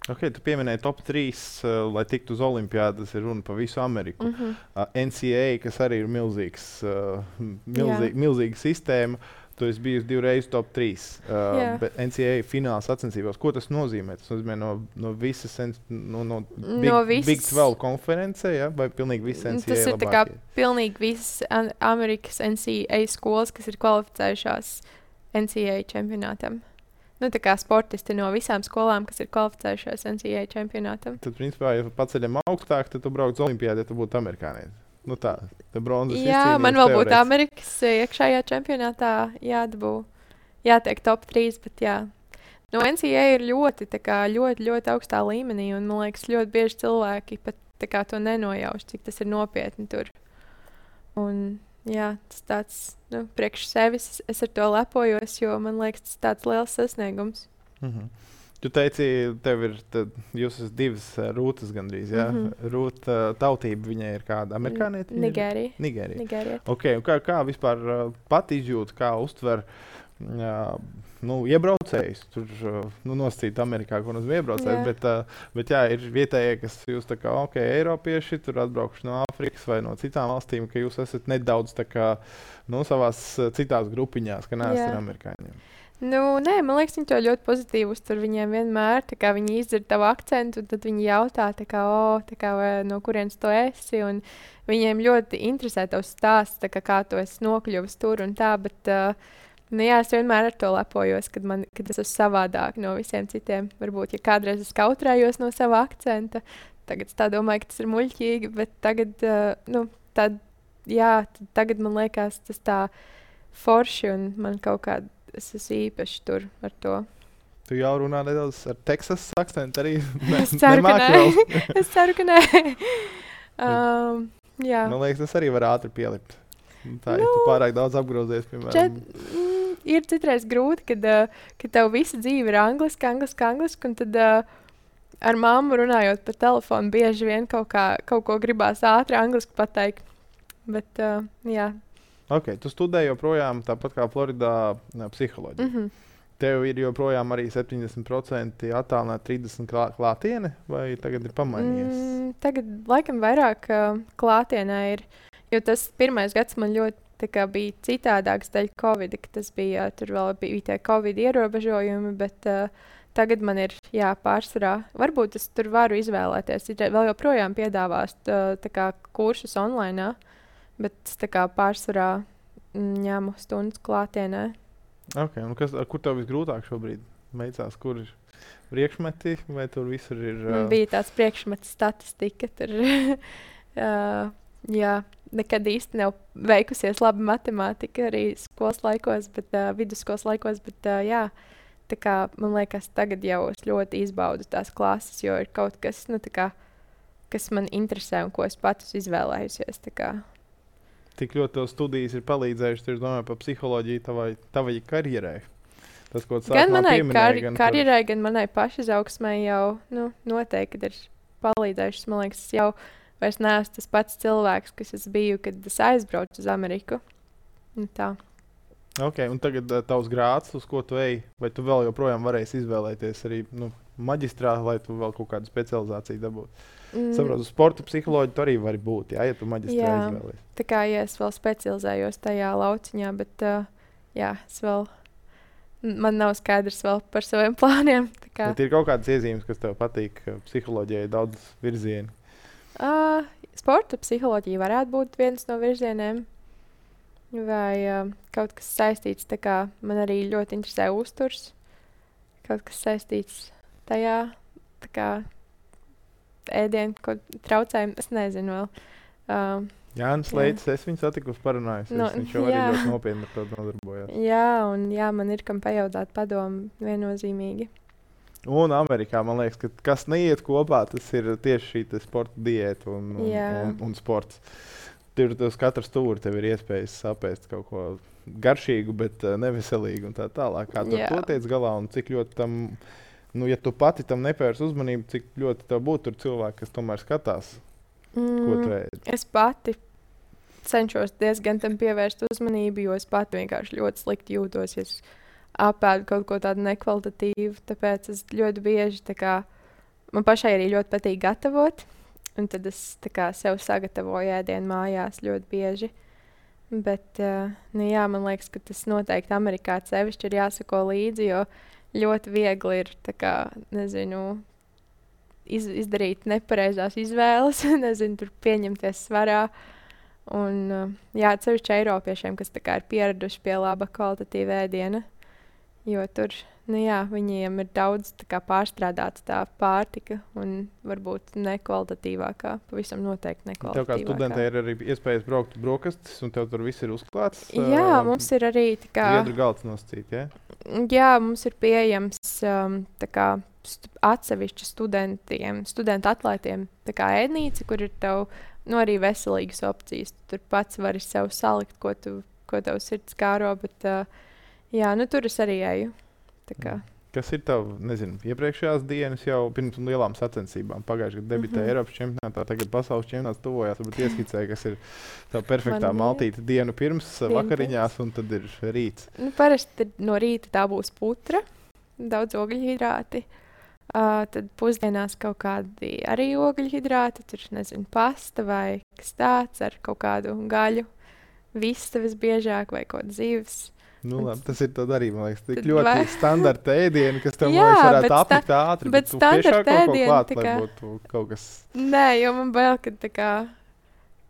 Ok, tu pieminēji top trīs, uh, lai tiktu uz olimpiādas, ir runa pa visu Ameriku. Mm -hmm. Uh, N C A A, kas arī ir milzīgs, uh, milzī, Jā. milzīga sistēma, tu esi bijis divreiz top trīs. Uh, Jā. bet N C A A fināla sacensībās, ko tas nozīmē? Tas nozīmē no, no visas, N- no, no Big, No visas- Big twelve konferencē, ja? Vai pilnīgi visas N C A A Tas ir tā kā labākie? pilnīgi visas an- Amerikas N C A A skolas, kas ir kvalificējušās N C A A čempionātam. nu, tā kā sportisti no visām skolām, kas ir kvalificējušies N C A A čempionātam. Tad, principā, ja paceļam augstāk, tad tu brauc uz olimpiādu, ja tu būtu amerikānietis. Nu tā, tā bronzas Jā, man vēl būtu teorētiski. Amerikas iekšējā čempionātā jādabū, jātiek top trīs, bet jā. No N C A A ir ļoti, tā kā, ļoti, ļoti augstā līmenī, un man liekas, ļoti bieži cilvēki pat tā kā to nenojauš, cik tas ir nopietni tur. Un jā, tas tāds, nu, priekš sevis es ar to lepojos, jo man liekas, tas tāds liels sasniegums. Mhm. Tu teici, tev ir, tad, jūs esat divas uh, rūtas gandrīz, jā? Mhm. Rūta uh, tautība viņai ir kāda? Amerikānieti? viņa ir? Nigērija. Nigērija. Nigērija. Okay, un kā, kā vispār uh, pat izjūt, kā uztver uh, nu, iebraucējus? Tur uh, nu, nosacīt Amerikā, ko nozīmē iebraucējs, Jā. bet, uh, bet jā, ir vietējie, kas jūs tā kā, ok, eiropieši, tur atbraukuši no Āfrikas vai no citām valstīm, ka jūs esat nedaudz tā kā, nu, savās uh, citās grupiņās, ka neesat Jā. ar amerikāņiem. Nu, nē, man liekas, viņi to ļoti pozitīvi uztver. Viņiem vienmēr, tā kā viņi izdzird tavu akcentu, tad viņi jautā, tā kā, o, tā kā, vai, no kurienes tu esi. Un viņiem ļoti interesē tavs stāsts, tā kā, kā tu esi nokļuvis tur un tā. Bet, uh, nu, jā, es vienmēr ar to lepojos, kad, man, kad es esmu savādāk no visiem citiem. Varbūt, ja kādreiz es kautrējos no sava akcenta, tagad es tā domāju, ka tas ir muļķīgi, bet tagad, uh, nu, tad, jā, tad, tagad man liekas tas tā forši un man kaut kāda. Es esmu īpaši tur ar to. Tu jau runā nedaudz ar Teksas akcentu arī? Ne, Es ceru, ka nemāki nē. vēl? Es ceru, ka nē. um, jā. Man liekas, tas arī var ātri pielikt. Tā ir Nu, nu, pārāk daudz apgrozies, piemēram. Čet, mm, ir citreiz grūti, kad, uh, kad tev visa dzīve ir angliski, angliski, angliski, un tad uh, ar mammu runājot pa telefonu bieži vien kaut, kā, kaut ko gribās ātri angliski pateikt. Bet, uh, jā. Ok, tu studēji joprojām tāpat kā Floridā ne, psiholoģiju. Mm -hmm. Tev ir joprojām arī septiņdesmit procenti attālināta trīsdesmit klā, klātiene, vai tagad ir pamainījies? Mm, tagad laikam vairāk uh, klātienē ir, jo tas pirmais gads man ļoti tā kā, bija citādāks dēļ Covid, ka tas bija, tur vēl bija tie Covid ierobežojumi, bet uh, tagad man ir, jā, pārsvarā. Varbūt es tur varu izvēlēties. Ir vēl joprojām piedāvās tā, tā kā kursus online, bet es tā kā pārsvarā mm, ņemu stundas klātienē. Okay, un kas, kur tev visgrūtāk šobrīd veicās? Kur ir priekšmeti, vai tur visur ir? Man Uh, bija tāds priekšmets statistika, tur, uh, jā, nekad īsti nav veikusies laba matemātika arī skolas laikos, bet uh, vidusskolas laikos, bet uh, jā, tā kā man liekas tagad jau es ļoti izbaudu tās klases, jo ir kaut kas, nu tā kā, kas man interesē un ko es pats izvēlējusies, tā kā. Tik ļoti tev studijas ir palīdzējušas, es domāju, par psiholoģiju tavai, tavai karjerai. Tas, ko tu Gan sākumā manai pieminēji, kar gan par- karjerai, gan manai pašizaugsmai jau nu, noteikti ir palīdzējušas. Man liekas, es jau vairs neesmu tas pats cilvēks, kas es biju, kad es aizbraucu uz Ameriku. Un tā. Ok, un tagad uh, tavs grāds, uz ko tu ej, vai tu vēl joprojām varēsi izvēlēties arī nu, maģistrā, lai tu vēl kaut kādu specializāciju dabūtu? Mm, Saprotu, sporta psiholoģija tu arī vari būt, jā, ja tu maģistrā Jā. izvēlies. tā kā ja es vēl specializējos tajā lauciņā, bet uh, jā, es vēl, man nav skaidrs vēl par saviem plāniem. tā kā. Bet ir kaut kādas iezīmes, kas tev patīk uh, psiholoģijai, daudz virzienu. Uh, sporta psiholoģija varētu būt viens no virzieniem. Vai uh, kaut kas saistīts, tā kā man arī ļoti interesē uzturs. Kaut kas saistīts tajā, tā kā ēdienu, ko traucējumu, es nezinu vēl. Uh, Jānis Jā. Leitis, es viņu satiku uz parunājusies, Nu, viņš jau arī jā. ļoti nopietni ar to nodarbojās. jā, un jā, man ir kam pajautāt padomu viennozīmīgi. Un Amerikā, man liekas, ka kas neiet kopā, tas ir tieši šī te sporta diēta un, un, Jā. un, un sports. Tur uz katra stūra tev ir iespējas sapēst kaut ko garšīgu, bet uh, neveselīgu un tā tālāk. Kā tu ar Jā. to tiec galā un cik ļoti tam, nu, ja tu pati tam nepērs uzmanību, cik ļoti tev būtu tur cilvēki, kas tomēr skatās, ko tu Mm, ēd. es pati cenšos diezgan tam pievērst uzmanību, jo es pati vienkārši ļoti slikti jūtos, ja es apēdu kaut ko tādu nekvalitatīvu. Tāpēc es ļoti bieži, tā kā, man pašai arī ļoti patīk gatavot, un tad es tā kā sev sagatavoju ēdienu mājās ļoti bieži. Bet, uh, nu jā, man liekas, ka tas noteikti Amerikā sevišķi ir jāsako līdzi, jo ļoti viegli ir, tā kā, nezinu, iz, izdarīt nepareizās izvēles, nezinu, tur pieņemties svarā. Un, uh, jā, sevišķi Eiropiešiem, kas tā kā ir pieraduši pie laba kvalitatīva ēdiena, Jo tur, nu jā, viņiem ir daudz tā kā pārstrādāta tā pārtika un varbūt nekvalitatīvākā, pavisam noteikti Tev kā studentē nekvalitatīvākā. ir arī iespējas braukt brokastis, un tev tur viss ir uzklāts. Jā, ā, mums ir arī tā kā, Zviedru galds nosacīt, ja? jā, mums ir pieejams um, tā kā stu atsevišķi studentiem, studentu atlētiem tā kā ēdnīca, kur ir tev, nu arī veselīgas opcijas. Tu tur pats vari sev salikt, ko tu, ko tev sirds kāro, bet uh, jā, nu tur es arī eju. Tā kā. Kas ir tev, nezinu, iepriekšējās dienas jau pirms lielām sacensībām? Pagājušajā gadā debitēja Mhm. Eiropas čempionātā, tagad pasaules čempionāts tuvojās. Varbūt ieskicēja, kas ir tā perfektā Man maltīte dienu pirms ā, Dienu vakariņās, un tad ir rīts. Nu, parasti tad no rīta tā būs putra, daudz ogļhidrāti. Uh, tad pusdienās kaut kādi arī ogļhidrāti, tur nezinu, pasta vai kas tāds ar kaut kādu gaļu. Vista visbiežāk vai kaut kāda zīves. Nu, labi, tas ir tad arī, man liekas, tik Tad ļoti vai- standarta ēdieni, kas tev, man Jā, liekas, varētu bet sta- apnikt ātri. bet tu tiešām standarta kaut ko ēdieni klāt, tā lai kā- būtu kaut kas. Nē, jo man bail, ka tā kā,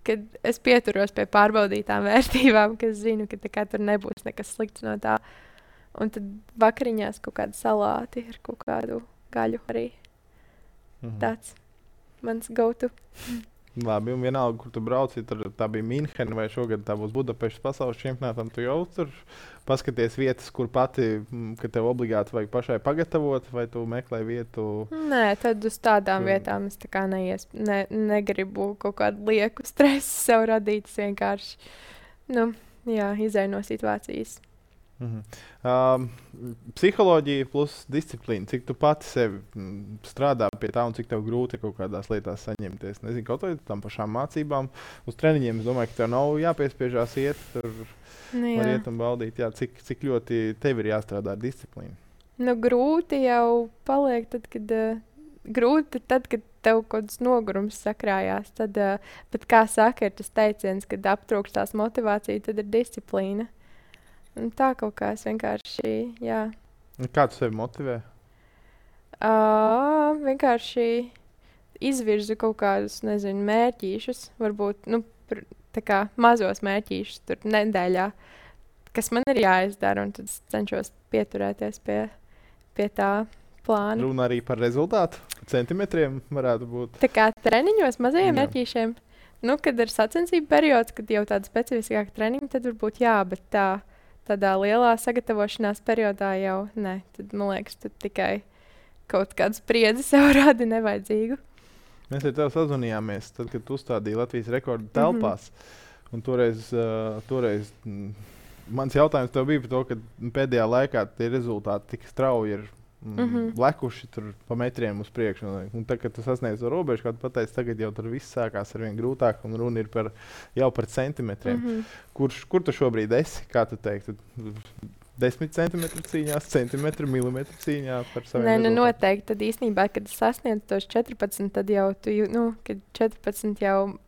kad es pieturos pie pārbaudītām vērtībām, ka es zinu, ka tā kā tur nebūs nekas slikts no tā. Un tad vakariņās kaut kādi salāti ar kaut kādu gaļu arī. Mhm. Tāds mans go-to. Labi, un vienalga, kur tu brauci, tur tā bija Minhena vai šogad tā būs Budapeštas pasaules čempionātam. Tu jau tur paskaties vietas, kur pati, mm, ka tev obligāti vajag pašai pagatavot, vai tu meklē vietu. Nē, tad uz tādām Tur- vietām es tā kā neies, ne, negribu kaut kādu lieku stresu sev radīt. Es vienkārši, nu, jā, izēju no situācijas. Mhm. Um, psiholoģija plus disciplīna. Cik tu pati sevi mm, strādā pie tā, un cik tev grūti ir kaut kādās lietās saņemties? Nezinu, kaut vai tam pašām mācībām, uz treniņiem. Es domāju, ka tev nav jāpiespiežās iet, tur Nu, var jā. iet un baudīt. Jā, cik, cik ļoti tev ir jāstrādā ar disciplīnu? Nu, grūti jau paliek, tad, kad, uh, grūti tad, kad tev kaut kāds nogurums sakrājās. Tad, uh, bet, kā saka, ir tas teiciens, kad aptrūkstās motivācija, tad ir disciplīna. Un tā kaut kā es vienkārši, jā. Un kā tu sevi motivē? Uh, vienkārši izvirzu kaut kādus, nezinu, mērķīšus, varbūt nu, pr- tā kā mazos mērķīšus tur nedēļā, kas man ir jāizdara, un tad es cenšos pieturēties pie, pie tā plāna. Runa arī par rezultātu. Centimetriem varētu būt. Tā kā treniņos mazajiem Jā. mērķīšiem, nu, kad ir sacensību periods, kad jau tāda specifiskāka treniņa, tad varbūt jā, bet tā, tādā lielā sagatavošanās periodā jau ne. Tad, man liekas, tu tikai kaut kādu spriedzi sev radi nevajadzīgu. Mēs ar tevi sazvanījāmies, tad, kad tu uzstādīji Latvijas rekordu telpās. Un toreiz, uh, toreiz mm, mans jautājums tev bija par to, ka pēdējā laikā tie rezultāti tik strauji ir mm, Mhm. lekuši tur pa metriem uz priekšu. Un, un tad, kad tu sasniedz to robežu, kā tu pateici, tagad jau tur viss sākās ar vien grūtāk, un runa ir par, jau par centimetriem. Mm -hmm. Kurš, kur tu šobrīd esi? Kā tu teiktu? Desmit centimetru cīņās, centimetru, milimetru cīņā par saviem Nē, nu rezultātiem? noteikti. Tad īstenībā, kad es sasniedzu tos četrpadsmit, tad jau tu, jū- nu, kad četrpadsmit jau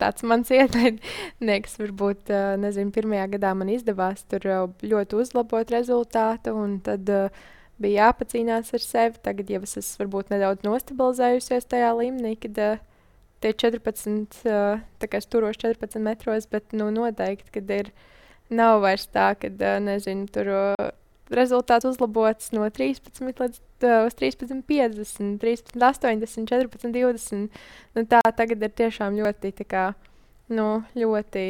tāds mans ienaidnieks, varbūt, ā, nezinu, pirmajā gadā man izdevās tur jau ļoti uzlabot rezultātu, un tad uh, bija jāpacīnās ar sevi. Tagad jau es esmu varbūt nedaudz nostabilizējusies tajā līmenī, kad uh, tie četrpadsmit, uh, tā kā es turos četrpadsmit metros, bet nu noteikti, kad ir, nav vairs tā, kad, uh, nezinu, tur uh, rezultāts uzlabots no trīspadsmit līdz uh, uz trīspadsmit, piecdesmit, trīspadsmit, astoņdesmit, četrpadsmit, divdesmit. Nu, tā tagad ir tiešām ļoti, tā kā, nu, ļoti,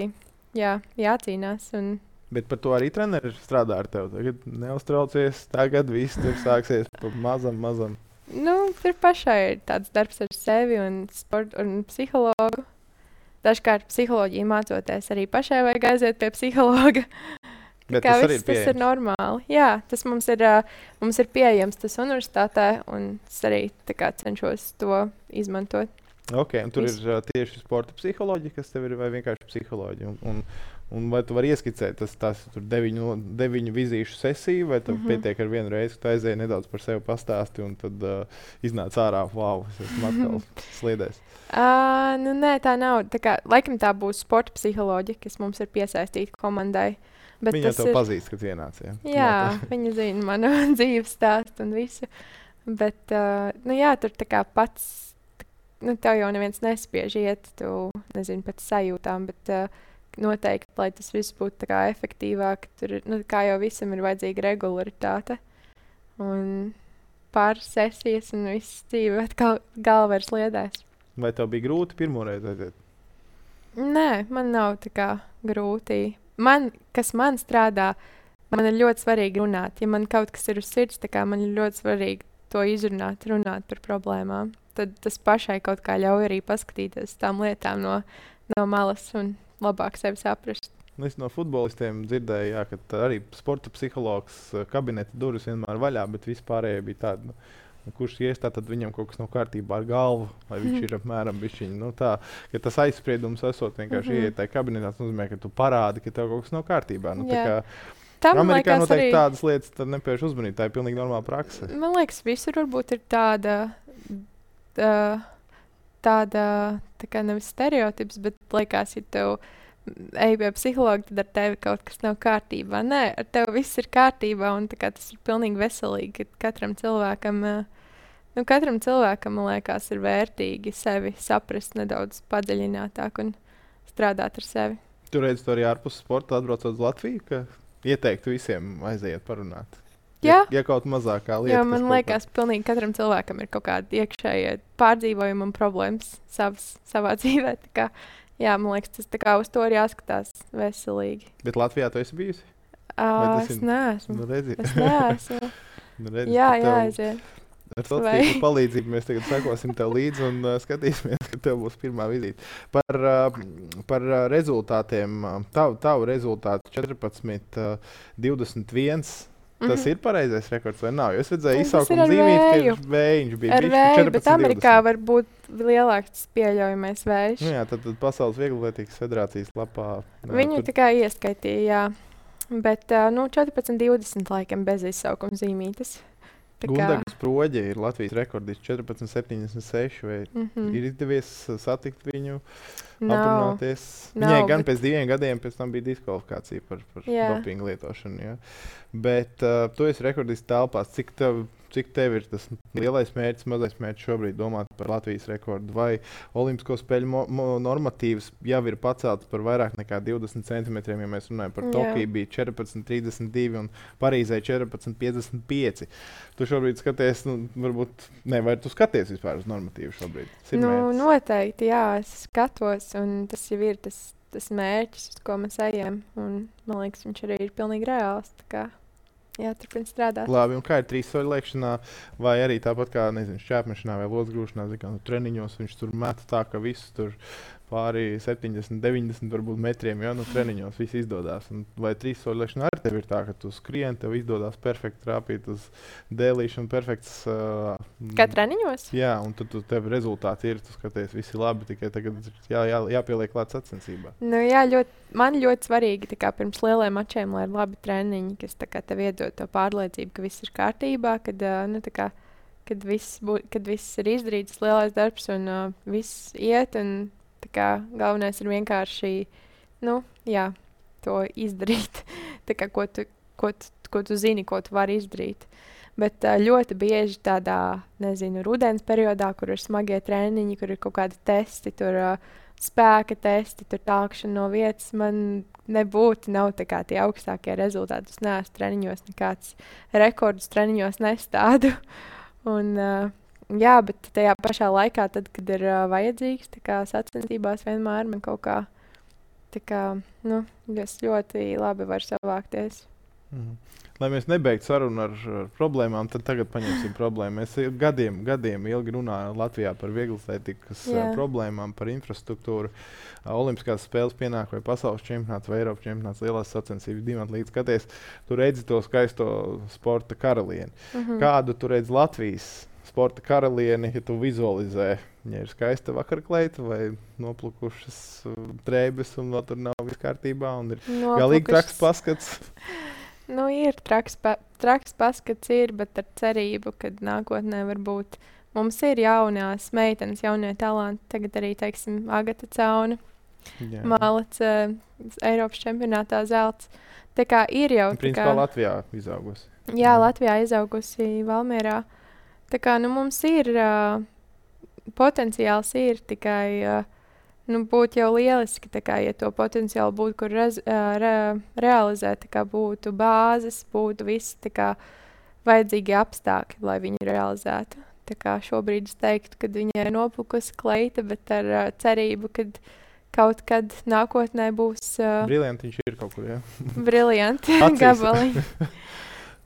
jā, jācīnās. Un, Bet par to arī treneris strādā ar tevi. Tagad neuztraucies, tagad viss tur sāksies pa mazam, mazam. nu, tur pašai ir tāds darbs ar sevi un, sport, un psihologu. Dažkārt psiholoģiju mācoties arī pašai vajag aiziet pie psihologa. Bet Kā tas arī viss, ir tas ir pieejams. normāli. Jā, tas mums ir, ā, mums ir pieejams tas universitātē, un es arī tā kā cenšos to izmantot. Okay, un tur Viss. ir uh, tieši sporta psiholoģija, kas tev ir, vai vienkārši psiholoģija. Un, un, un vai tu vari ieskicēt tas, tas tur deviņu, deviņu vizīšu sesiju, vai tev mm Mhm. -hmm. pietiek ar vienu reizi, ka tu aizēji nedaudz par sevi pastāsti, un tad uh, iznāc ārā, wow, es esmu atkal sliedēs. Uh, nu, nē, tā nav. Tā kā, laikam tā būs sporta psiholoģija, kas mums ir piesaistīta komandai. Bet Viņa tas tev ir, pazīst, kad ienāc. Ja? jā, viņa zina manu dzīves stāstu un visu. Bet, uh, nu jā, tur tā kā pats, t- nu tev jau neviens nespiež iet, tu nezini pēc sajūtām, bet uh, noteikti, lai tas viss būtu tā kā efektīvāk, tur, nu, kā jau visam ir vajadzīga regularitāte. Un pāris sesijas un viss dzīve atkal galva ir sliedēs. Vai tev bija grūti pirmoreiz aiziet? Nē, man nav tā kā grūti. Man, kas man strādā, man ir ļoti svarīgi runāt. Ja man kaut kas ir uz sirds, tā kā man ir ļoti svarīgi to izrunāt, runāt par problēmām. Tad tas pašai kaut kā ļauj arī paskatīties tām lietām no, no malas un labāk sevi saprast. Es no futbolistiem dzirdēju, jā, ka arī sporta psihologs kabineta durvis vienmēr vaļā, bet vispārējie bija tādi, nu, kurš iestā, tad viņam kaut kas nav kārtībā ar galvu, vai viņš ir apmēram bišķiņi. Nu, tā, ka tas aizspriedums esot vienkārši mm -hmm. ieiet tajā kabinetā, tas nozīmē, ka tu parādi, ka tev kaut kas nav kārtībā. Nu, tā kā Tam, Amerikā noteikti arī... tādas lietas nepieši uzmanīt, tā ir pilnīgi normāla prakse. Man liekas, visur varbūt ir tāda, tā, tāda tā kā nevis stereotips, bet liekas, ja tev ej pie psihologa, tad ar tevi kaut kas nav kārtībā. Nē, ar tevi viss ir kārtībā, un tā kā tas ir pilnīgi veselīgi, ka katram cilvēkam, nu, katram cilvēkam, man liekas, ir vērtīgi sevi saprast nedaudz padziļinātāk un strādāt ar sevi. Tu redzi to arī ārpus sporta, atbraucot uz Latviju, ka ieteiktu visiem aiziet parunāt? Jā. Ja, ja kaut mazākā lieta. Jo man liekas, ka pilnīgi katram cilvēkam ir kaut kāda iekšējie pārdzīvojumi un problēmas savas, savā dzīvē. Tā kā, jā, man liekas, tas tā kā uz to ir jāskatās veselīgi. Bet Latvijā tu esi bijusi? Uh, es ir... neesmu. Nu, redzi. Es neesmu. nu, redzi, jā, tev... jāaiziet. Ar sociālo palīdzību mēs tagad sekosim tev līdzi un uh, skatīsimies, ka tev būs pirmā vizīte. Par, uh, par uh, rezultātiem, uh, tavu, tavu rezultātu četrpadsmit, divdesmit viens. Tas mm -hmm. ir pareizais rekords vai nav? Jo es redzēju izsaukumu zīmīt, ka ir vējiņš bija ar vēju, bet Amerikā var būt lielāks pieļaujamais vējš. Nu jā, tad, tad Pasaules Vieglatlētikas federācijas lapā. Jā, Viņu tur... tā kā ieskaitīja, jā. Bet, uh, nu, četrpadsmit divdesmit laikam bez izsaukuma zīmītes. Gundagas Proģe ir Latvijas rekordists četrpadsmit septiņdesmit seši. Vai mm -hmm. ir izdevies satikt viņu, nav, aprunāties? nav, Viņai gan bet... pēc diviem gadiem pēc tam bija diskvalifikācija par, par jā. dopingu lietošanu. Jā. Bet uh, tu esi rekordists telpās. Cik tev, cik tev ir tas lielais mērķis, mazais mērķis šobrīd domāt par Latvijas rekordu? Vai Olimpisko spēļu mo, mo, normatīvs jau ir pacelts par vairāk nekā divdesmit centimetriem, ja mēs runājam par Tokiju bija četrpadsmit trīsdesmit divi un Parīzē četrpadsmit piecdesmit pieci. Tu šobrīd skaties, nu, varbūt, ne, vai tu skaties vispār uz normatīvu šobrīd? Nu, noteikti, jā, es skatos, un tas jau ir tas, tas mērķis, uz ko mēs ejam, un man liekas, viņš arī ir pilnīgi reāls, tā kā, jā, turpin strādāt. Labi, un kā ir trīs soļu lēkšanā, vai arī tāpat kā, nezinu, šķēpmešanā vai locgrūšanā, zin, kā, nu, treniņos viņš tur meta tā, ka viss tur pāri septiņdesmit, deviņdesmit varbūt metriem, jo nu, treniņos viss izdodas. Un vai trīs soļu lēkšanā arī tev ir tā, ka tu skrien, tev izdodas perfekti trāpīt uz dēlīšanu, perfekts... Uh, kā treniņos? Jā, un tad tu, tev rezultāti ir, tu skaties, visi labi, tikai tagad jā, jā, jāpieliek klāt sacensībā. Nu jā, ļoti, man ļoti svarīgi, tā kā pirms lieliem mačiem, lai ir labi treniņi, kas tā kā tev iedod to pārliecību, ka viss ir kārtībā, kad, uh, nu tā kā, kad viss, bū, kad viss ir izdarīts, lielais darbs un uh, viss iet, un tā kā galvenais ir vienkārši, nu, jā, to izdarīt, tā kā ko tu, ko tu, ko tu zini, ko tu vari izdarīt. Bet uh, ļoti bieži tādā, nezinu, rudens periodā, kur ir smagie treniņi, kur ir kaut kādi testi, tur uh, spēka testi, tur tākšana no vietas, man nebūtu, nav tā kā tie augstākie rezultāti. Es neesmu treniņos nekāds rekordus treniņos nestādu. Un, uh, jā, bet tajā pašā laikā, tad, kad ir uh, vajadzīgs, tā kā sacensībās vienmēr man kaut kā, tā kā, nu, es ļoti labi varu savākties. Mhm. Lai mēs nebeigtu sarunu ar, ar problēmām, tad tagad paņemsim problēmu. Mēs gadiem, gadiem ilgi runājam Latvijā par vieglatlētikas uh, problēmām, par infrastruktūru. Uh, Olimpiskās spēles pienāk vai pasaules čempionāts vai Eiropas čempionāts, lielās sacensības, dimantu līdz skaties. Tu redzi to skaisto sporta karalieni. Mhm. Kādu tu redzi Latvijas sporta karalieni, ja tu vizualizē? Viņa ir skaista vakarkleita vai noplukušas uh, drēbes un vēl tur nav viss kārtībā un ir Noplukušas. Galīgi traks paskats. Nu, ir traks, pa, traks paskats, ir, bet ar cerību, ka nākotnē varbūt mums ir jaunās meitenes, jaunie talanti. Tagad arī, teiksim, Agata Cauna, Malac, uh, Eiropas čempionātā zelts. Tā kā ir jau... Principā kā, Latvijā izaugusi. Jā, Latvijā izaugusi Valmierā. Tā kā, nu, mums ir uh, potenciāls ir tikai... Uh, nu, būtu jau lieliski, tā kā, ja to potenciāli būtu, kur rez, ā, re, realizēt, tā kā būtu bāzes, būtu visi tā kā vajadzīgi apstākļi, lai viņu realizētu. Tā kā šobrīd es teiktu, ka viņai ir noplukusi kleita, bet ar uh, cerību, ka kaut kad nākotnē būs uh, Briljanti viņš ir kaut kur, jā. briljanti Acīs. gabali.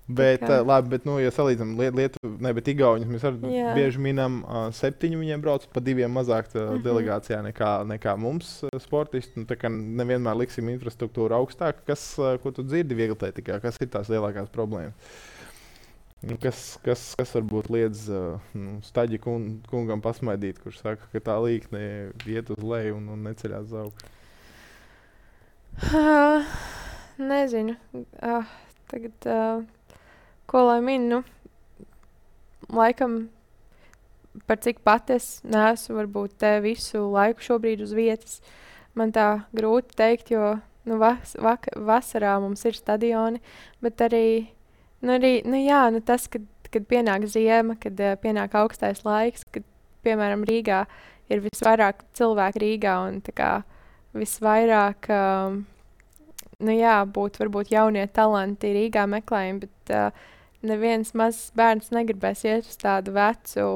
Bet, kā. uh, labi, bet, nu, ja salīdzinām Liet- Lietuvu, ne, bet Igauņus, mēs arī Jā. bieži minam, uh, septiņi viņiem brauc, pa diviem mazāk uh, Mhm. delegācijā nekā, nekā mums uh, sportisti. Nu, tā kā nevienmēr liksim infrastruktūru augstāk. Kas, uh, ko tu dzirdi vieglatlētikā? Kas ir tās lielākās problēmas? Nu, kas, kas, kas varbūt liedz uh, nu, Staģi kun, kungam pasmaidīt, kurš saka, ka tā līkne iet uz leju un, un neceļās uz augšu? Uh, nezinu. Uh, tagad, uh, ko lai min, nu, laikam, par cik pat es neesmu varbūt te visu laiku šobrīd uz vietas. Man tā grūti teikt, jo nu, vas, vak, vasarā mums ir stadioni, bet arī, nu, arī nu, jā, nu, tas, kad, kad pienāk ziema, kad uh, pienāk augstais laiks, kad, piemēram, Rīgā ir visvairāk cilvēku Rīgā un tā kā visvairāk, um, nu jā, būtu varbūt jaunie talanti Rīgā meklējumi, bet uh, neviens mazs bērns negribēs iet uz tādu vecu,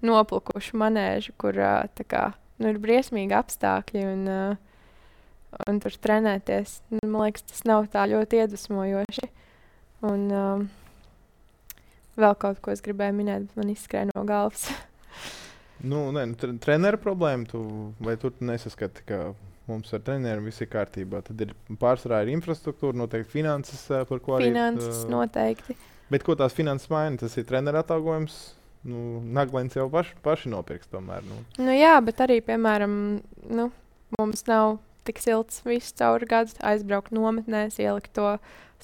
noplukušu manēžu, kur uh, tā kā, nu, ir briesmīgi apstākļi un, uh, un tur trenēties. Nu, man liekas, tas nav tā ļoti iedvesmojoši. Un um, vēl kaut ko es gribēju minēt, bet man izskrēja no galvas. Nu, nē, nu, tre- treneru problēma, tu, vai tu nesaskati, ka mums ar treneriem viss ir kārtībā? Tad ir pārsvarā ir infrastruktūra, noteikti finanses, ā, par ko arī... Finanses ā, noteikti. Bet ko tās finanses maina? Tas ir treneru atalgojums. Nu, Naglens jau paši, paši nopirks tomēr. Nu. Nu, jā, bet arī, piemēram, nu, mums nav tik silts visu cauri gadu aizbraukt nometnēs, ielikt to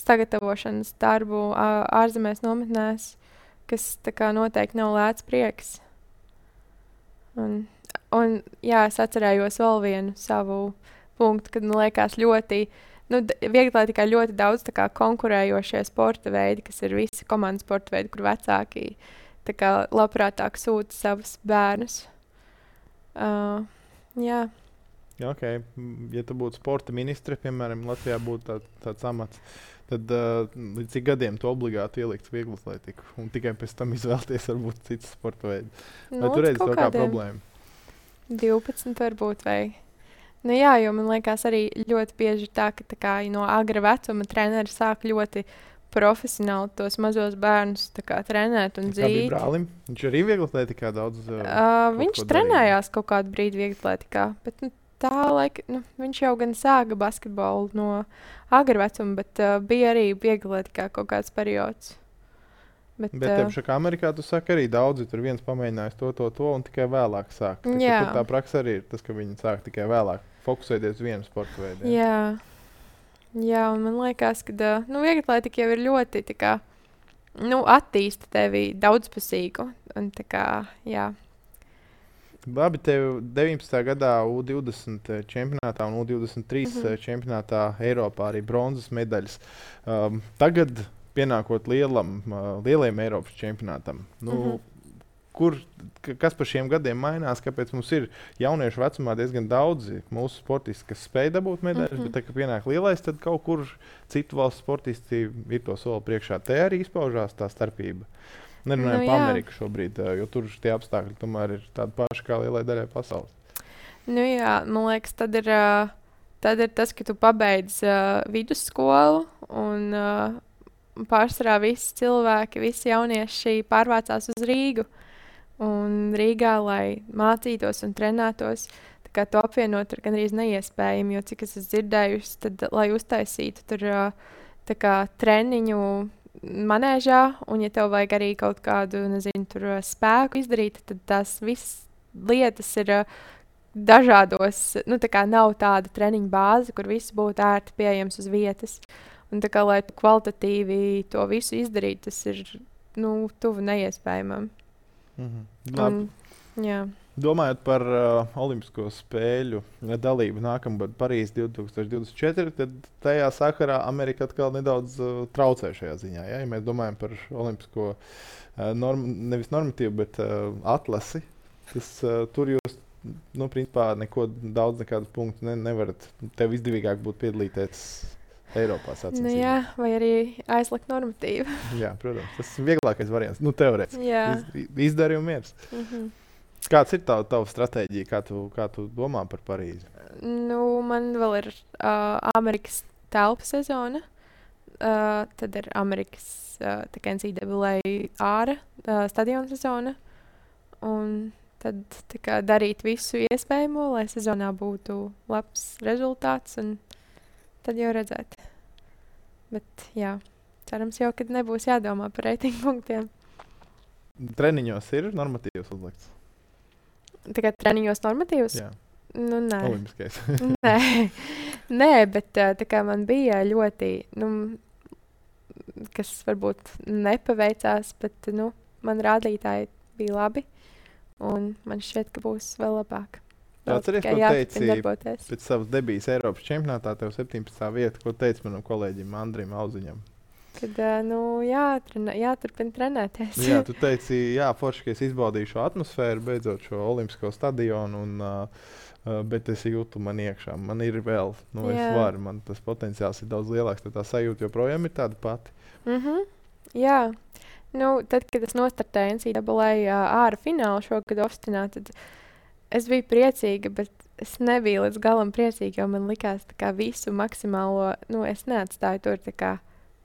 sagatavošanas darbu ā- ārzemēs nometnēs, kas tā kā noteikti nav lēts prieks. Un, un jā, es atcerējos vēl vienu savu punktu, kad man liekas ļoti, nu, d- viegli tikai ļoti daudz tā kā konkurējošie sporta veidi, kas ir visi komandas sporta veidi, kur vecāki tā kā labprātāk sūta savus bērnus. Uh, jā, Ja, okay. M, ja tu būtu sporta ministre, piemēram, Latvijā būtu tā, tāds amats, tad uh, līdz cik gadiem tu obligāti ieliktu vieglatlētiku un tikai pēc tam izvēlēties varbūt citas sporta veidu? Vai nu, tu līdz redzi kaut to kā kādiem problēmu? divpadsmit varbūt vai. Nu jā, jo man liekas arī ļoti bieži ir tā, ka tā kā no agra vecuma treneri sāk ļoti profesionāli tos mazos bērnus tā kā trenēt un Kā bija dzīt. brālim? Viņš arī vieglatlētikā daudz. Uh, Uh, kaut viņš ko darīja. trenējās kaut kādu brīdi vieglatlētikā, bet nu, tā laika, nu, viņš jau gan sāka basketbolu no agra vecuma, bet uh, bija arī vieglatlētikā kaut kāds periods. Bet, Bet uh, uh, Amerikā tu saki arī daudzi, tur viens pamēģinājis to, to, to un tikai vēlāk sāk. Tā, ka Jā. tur tā praksa arī ir tas, ka viņi sāk tikai vēlāk fokusēties uz vienu sporta veidu. jā. jā, jā, un man liekas, ka uh, nu, vieglatlētika jau ir ļoti tā kā, nu, attīsta tevi daudzpusīgu. Un, tā kā, jā. Labi, tev deviņpadsmitajā gadā U divdesmit čempionātā un U divdesmit trīs Mhm. mm-hmm. čempionātā Eiropā arī bronzas medaļas. Um, tagad, pienākot lielam, uh, lielajam Eiropas čempionātam, nu, Mhm. mm-hmm. kur, k- kas par šiem gadiem mainās? Kāpēc mums ir jauniešu vecumā diezgan daudzi mūsu sportisti, kas spēj dabūt medaļas, Mhm. mm-hmm. bet, tā, kad pienāk lielais, tad kaut kur citu valstu sportisti ir to soli priekšā. Te arī izpaužās tā starpība. Nerunājam Nu, par jā. Ameriku šobrīd, ā, jo tur tie apstākļi tomēr ir tādi paši kā lielai daļai pasaules. Nu, jā, man liekas, tad ir, uh, tad ir tas, ka tu pabeidz uh, vidusskolu un uh, pārsvarā visi cilvēki, visi jaunieši pārvācās uz Rīgu. Un Rīgā, lai mācītos un trenētos, tā kā to apvienot ir gandrīz neiespējami, jo cik es esmu dzirdējusi, tad, lai uztaisītu tur uh, tā kā treniņu manēžā, un ja tev vajag arī kaut kādu, nezinu, tur uh, spēku izdarīt, tad tās visas lietas ir uh, dažādos, nu tā kā nav tāda treniņa bāze, kur viss būtu ērti pieejams uz vietas. Un tā kā, lai tu kvalitatīvi to visu izdarītu, tas ir, nu, tuvu neiespējamam. Mhm. Labi. Un, jā. Domājot par uh, Olimpisko spēļu dalību nākamgad Parīzē divtūkstoš divdesmit četri, tad tajā sakarā Amerika atkal nedaudz uh, traucē šajā ziņā. Ja? Ja mēs domājam par Olimpisko uh, norm, nevis normatīvu, bet uh, atlasi, tas, uh, tur jūs nu, principā neko daudz nekādus punktus ne, nevarat. Tev izdevīgāk būtu piedalīties Eiropā sacensībās. Nu, jā, vai arī aizlikt normatīvu. Jā, protams, tas ir vieglākais variants. Nu, teorētiski. Jā. Iz, izdarījumi miers. Mhm. Kāds ir tava, tava stratēģija, kā tu, kā tu domā par Parīzi? Nu, man vēl ir uh, Amerikas telpu sezona. Uh, tad ir Amerikas uh, N C A A āra uh, stadiona sezona. Un tad tā kā, darīt visu iespējamo, lai sezonā būtu labs rezultāts. Un tad jau redzēt. Bet jā, cerams jau, ka nebūs jādomā par reitingu punktiem. Treniņos ir normatīvs uzlikts? Tā kā treniņos normatīvs? Jā. Nu, nē. Olimpiskais. nē. nē, bet tā kā man bija ļoti, nu, kas varbūt nepaveicās, bet, nu, man rādītāji bija labi. Un man šķiet, ka būs vēl labāk. Atceries, ko teici pēc savas debijas Eiropas čempionātā, tev septiņpadsmitā vieta, ko teici manam kolēģim Andrim Auziņam? Kad, nu, jātrena, jāturpina trenēties. Jā, tu teici, jā, forši, ka es izbaudīju šo atmosfēru, beidzot šo olimpisko stadionu, un, uh, bet es jūtu man iekšā. Man ir vēl, nu, es jā. varu, man tas potenciāls ir daudz lielāks, tad tā sajūta joprojām ir tāda pati. Mhm, jā. Nu, tad, kad es nostartēju N C A A āra finālu šogad Ostinā, tad es biju priecīga, bet es nebiju līdz galam priecīga, jo man likās tā kā visu maksimālo, nu, es neatstāju tur, tā kā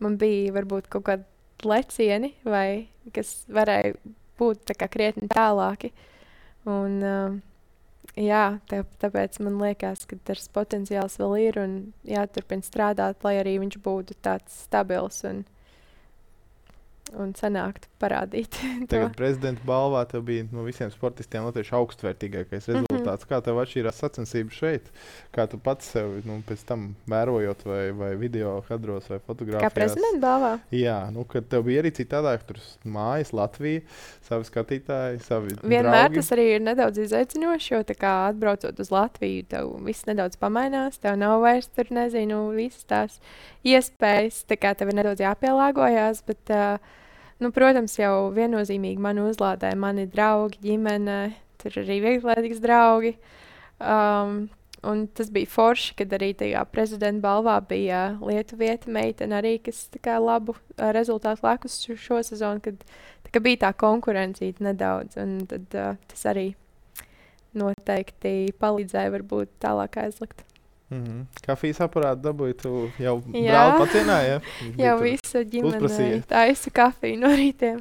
man bija varbūt kaut kādi lecieni, vai kas varēja būt tā kā krietni tālāki. Un, uh, jā, tā, tāpēc man liekas, ka tas potenciāls vēl ir un jāturpina strādāt, lai arī viņš būtu tāds stabils un un sanāktu parādīt. Tagad prezidenta balvā tev bija no visiem sportistiem latviešu augstvērtīgākais rezultāts. Mm-hmm. Kā tev atšķīrās sacensības šeit? Kā tu pats sev nu, pēc tam vērojot vai, vai video kadros vai fotogrāfijās? Kā prezidenta balvā? Jā, nu, kad tev bija arī citādāk, tur mājas, Latvija, savi skatītāji, savi Vienmēr draugi. Tas arī ir nedaudz izaicinoši, jo tā kā atbraucot uz Latviju, tev viss nedaudz pamainās, tev nav vairs tur, nezinu, visas tās iespējas, tā kā tev ir nedaudz jāpielāgojās, bet uh, nu, protams, jau viennozīmīgi mani uzlādēja mani draugi, ģimene, tur arī vieglietīgas draugi. Um, un tas bija forši, kad arī tajā prezidenta balvā bija lietuvieta meitene arī, kas tā kā labu uh, rezultātu lēkus šo, šo sezonu, kad tā kā bija tā konkurencīta nedaudz. Un tad uh, tas arī noteikti palīdzēja varbūt tālāk aizlikt. Mm-hmm. Kafijas aparātu dabūji, tu jau brāli pacienāji, ja? Jau visa ģimene taisa kafiju no rītiem.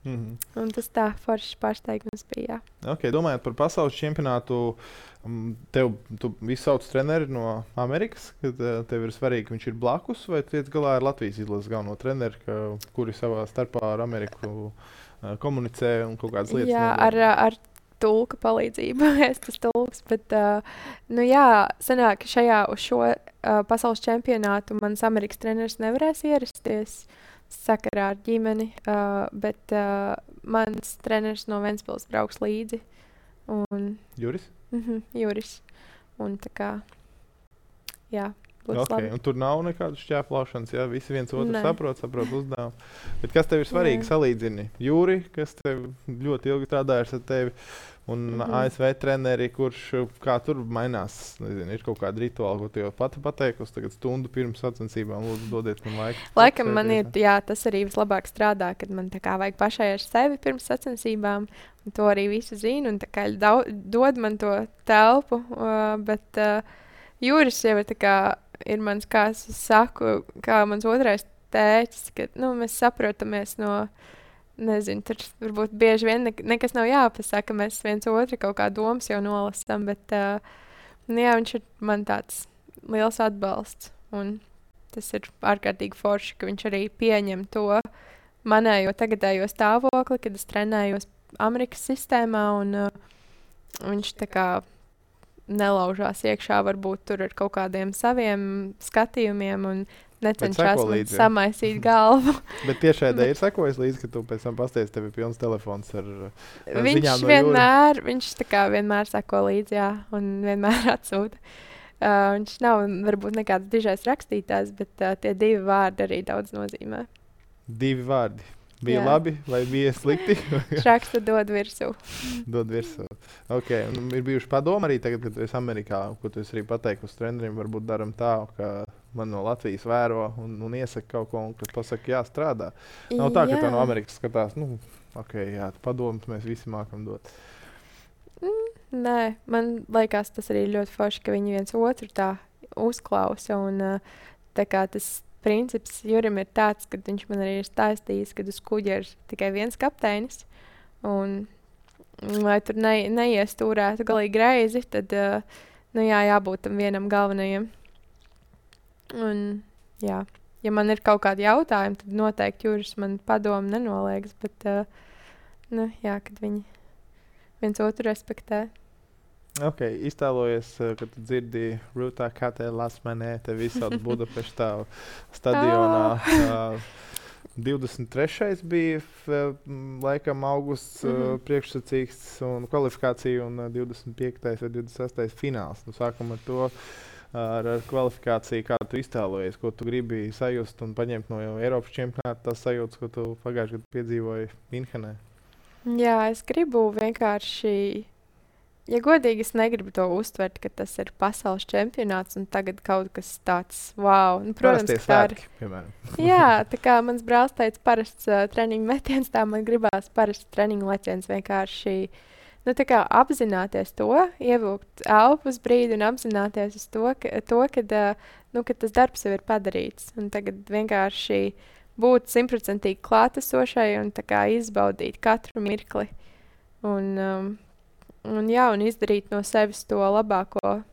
Mm-hmm. Un tas tā foršs pārsteigums bija, jā. Ok, domājot par pasaules čempionātu, tev, tu visu sauc treneri no Amerikas, kad tev ir svarīgi, ka viņš ir blakus, vai tiec galā ar Latvijas izlases galveno treneri, ka, kuri savā starpā ar Ameriku komunicē un kaut kādas lietas? Jā, ar, ar tulka palīdzību, es tas tulks, bet, uh, nu jā, sanāk, ka šajā uz šo uh, pasaules čempionātu mans Amerikas treneris nevarēs ierasties sakarā ar ģimeni, uh, bet uh, mans treneris no Ventspils brauks līdzi. Un, Juris? Mhm, Juris. Un tā kā, jā. Okay. Un tur nav nekādas šķēplāšanas, ja visi viens otru ne. saprot, saprot uzdevumu. Bet kas tev ir svarīgi, ne. salīdzini? Jūri, kas tev ļoti ilgi strādājas ar tevi, un mm-hmm. A S V treneri, kurš kā tur mainās, nezinu, ir kaut kāda rituāla, ko tu jau pati pateikusi, tagad stundu pirms sacensībām, lūdzu, dodiet man laiku. Laikam man ir, jā, tas arī vislabāk strādā, kad man tā kā vajag pašai ar sevi pirms sacensībām, un to arī visu zinu, un tā kā daudz, dod man to telpu, uh, bet uh, Jūris jau ir tā kā, ir mans, kā es saku, kā mans otrais tēķis, ka, nu, mēs saprotamies no, nezinu, tur varbūt bieži vien ne, nekas nav jāpasaka, mēs viens otru kaut kā domas jau nolasam, bet, uh, nu, jā, viņš ir man tāds liels atbalsts, un tas ir ārkārtīgi forši, ka viņš arī pieņem to manējo tagadējo stāvokli, kad es trenējos Amerikas sistēmā, un uh, viņš tā kā nelaužās iekšā, varbūt tur ar kaut kādiem saviem skatījumiem un necenšās man samaisīt galvu. Bet tiešādē ir sekojis līdzi, ka tu pēc tam pasteidz, tev ir pilns telefons ar, ar viņš ziņām no vienmēr, Jūra. Viņš tā kā vienmēr seko līdzi, jā, un vienmēr atsūta. Uh, viņš nav varbūt nekāds dižais rakstītājs, bet uh, tie divi vārdi arī daudz nozīmē. Divi vārdi. Bija Jā. labi vai bija slikti? Šraksta dod virsū. Dod virsū. Okay. Un ir bijuši padomi arī tagad, kad tu esi Amerikā, ko tu esi arī pateikusi treneriem, varbūt daram tā, ka man no Latvijas vēro un, un iesaka kaut ko, un kad pasaka, jā, strādā. Nav tā, ka Jā. tā no Amerikas skatās, nu, ok, jā, padomus mēs visi mākam dot. Mm, nē, man liekas, tas arī ļoti forši, ka viņi viens otru tā uzklausa. Un, uh, tā kā tas princips Jurim ir tāds, ka viņš man arī ir stāstījis, ka uz kuģa ir tikai viens kapteinis. Un, lai tur ne, neiestūrētu galīgi greizi, tad uh, nu, jā, jābūt tam vienam galvenajam. Un, jā, ja man ir kaut kādi jautājumi, tad noteikti Juris man padomu nenoliegs. Bet, uh, nu, jā, kad viņi viens otru respektē. Ok, iztēlojies, uh, kad tu dzirdi Rūtā Katē Lasmanē, te visādi Budapeštā stadionā. Uh, divdesmit trešais bija f, laikam augusts mm -hmm. uh, priekšsacīgs un kvalifikācija, un uh, divdesmit piektais vai divdesmit sestais fināls. Nu, sākam ar to, ar, ar kvalifikāciju, kā tu iztēlojies, ko tu gribi sajust un paņemt no jau Eiropas čempionāta tās sajūtas, ko tu pagājušajā gadā piedzīvoji Minhenē. Jā, es gribu vienkārši, ja godīgi, es negribu to uztvert, ka tas ir pasaules čempionāts un tagad kaut kas tāds, wow. Nu, protams, Parastie ka tā ir. svētki, piemēram. Jā, tā kā mans brālis teica, parasts uh, treniņu metiens, tā man gribās parasts treniņu leciens vienkārši, nu, tā kā apzināties to, ievilkt elpu uz brīdi un apzināties uz to, ka, to kad, uh, nu, kad tas darbs jau ir padarīts. Un tagad vienkārši būt simtprocentīgi klātesošai un tā kā izbaudīt katru mirkli. Un, um, un, jā, un izdarīt no sevis to labāko,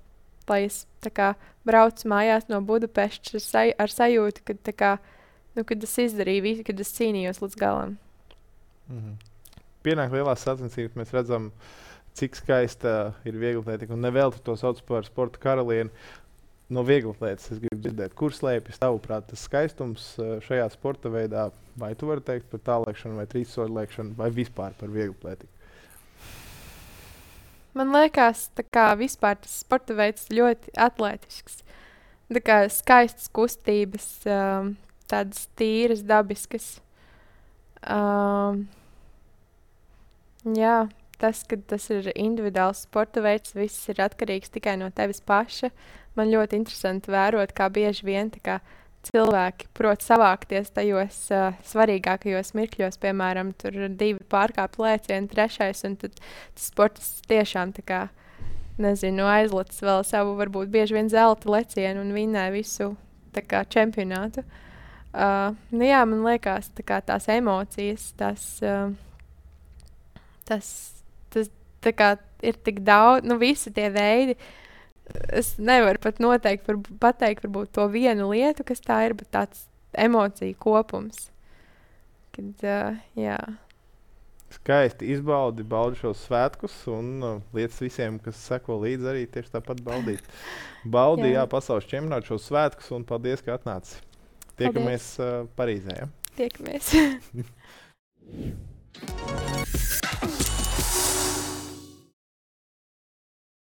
lai es tā kā braucu mājās no Budapeštas ar, saj ar sajūtu, kad, tā kā, nu, kad es izdarīju visu, kad es cīnījos līdz galam. Mm-hmm. Pienāk lielās sacensības, mēs redzam, cik skaista ir vieglatlētika. Un nevēl tu to sauc par sporta karalieni. No vieglatlētas es gribu dzirdēt, kur slēpjas tavuprāt tas skaistums šajā sporta veidā. Vai tu vari teikt par tālēkšanu vai trīssoļu lēkšanu vai vispār par vieglatlētiku? Man liekas, tā kā vispār tas sporta veids ļoti atlētisks. Tā kā skaistas kustības, um, tādas tīras, dabiskas. Um, jā, tas, ka tas ir individuāls sporta veids, viss ir atkarīgs tikai no tevis paša. Man ļoti interesanti vērot, kā bieži vien tā kā cilvēki prot savākties tajos uh, svarīgākajos mirkļos, piemēram, tur divi pārkāpju lēcieni, trešais, un tad tas sports tiešām tā kā, nezinu, aizlicis vēl savu, varbūt bieži vien zelta lecienu un vinnē visu tā kā čempionātu. Uh, nu jā, man liekas, tā kā tās emocijas, tas, uh, tas, tas tā kā ir tik daudz, nu visi tie veidi. Es nevaru pat noteikti var, pateikt varbūt to vienu lietu, kas tā ir, bet tāds emociju kopums. Kad, uh, jā. Skaisti izbaudi, baudi šos svētkus un uh, lietas visiem, kas seko līdzi, arī tieši tāpat baudīt. Baudi, jā, jā pasaules čempionātu šos svētkus un paldies, ka atnāci. Tiekamies uh, Parīzē. Ja? Tiekamies.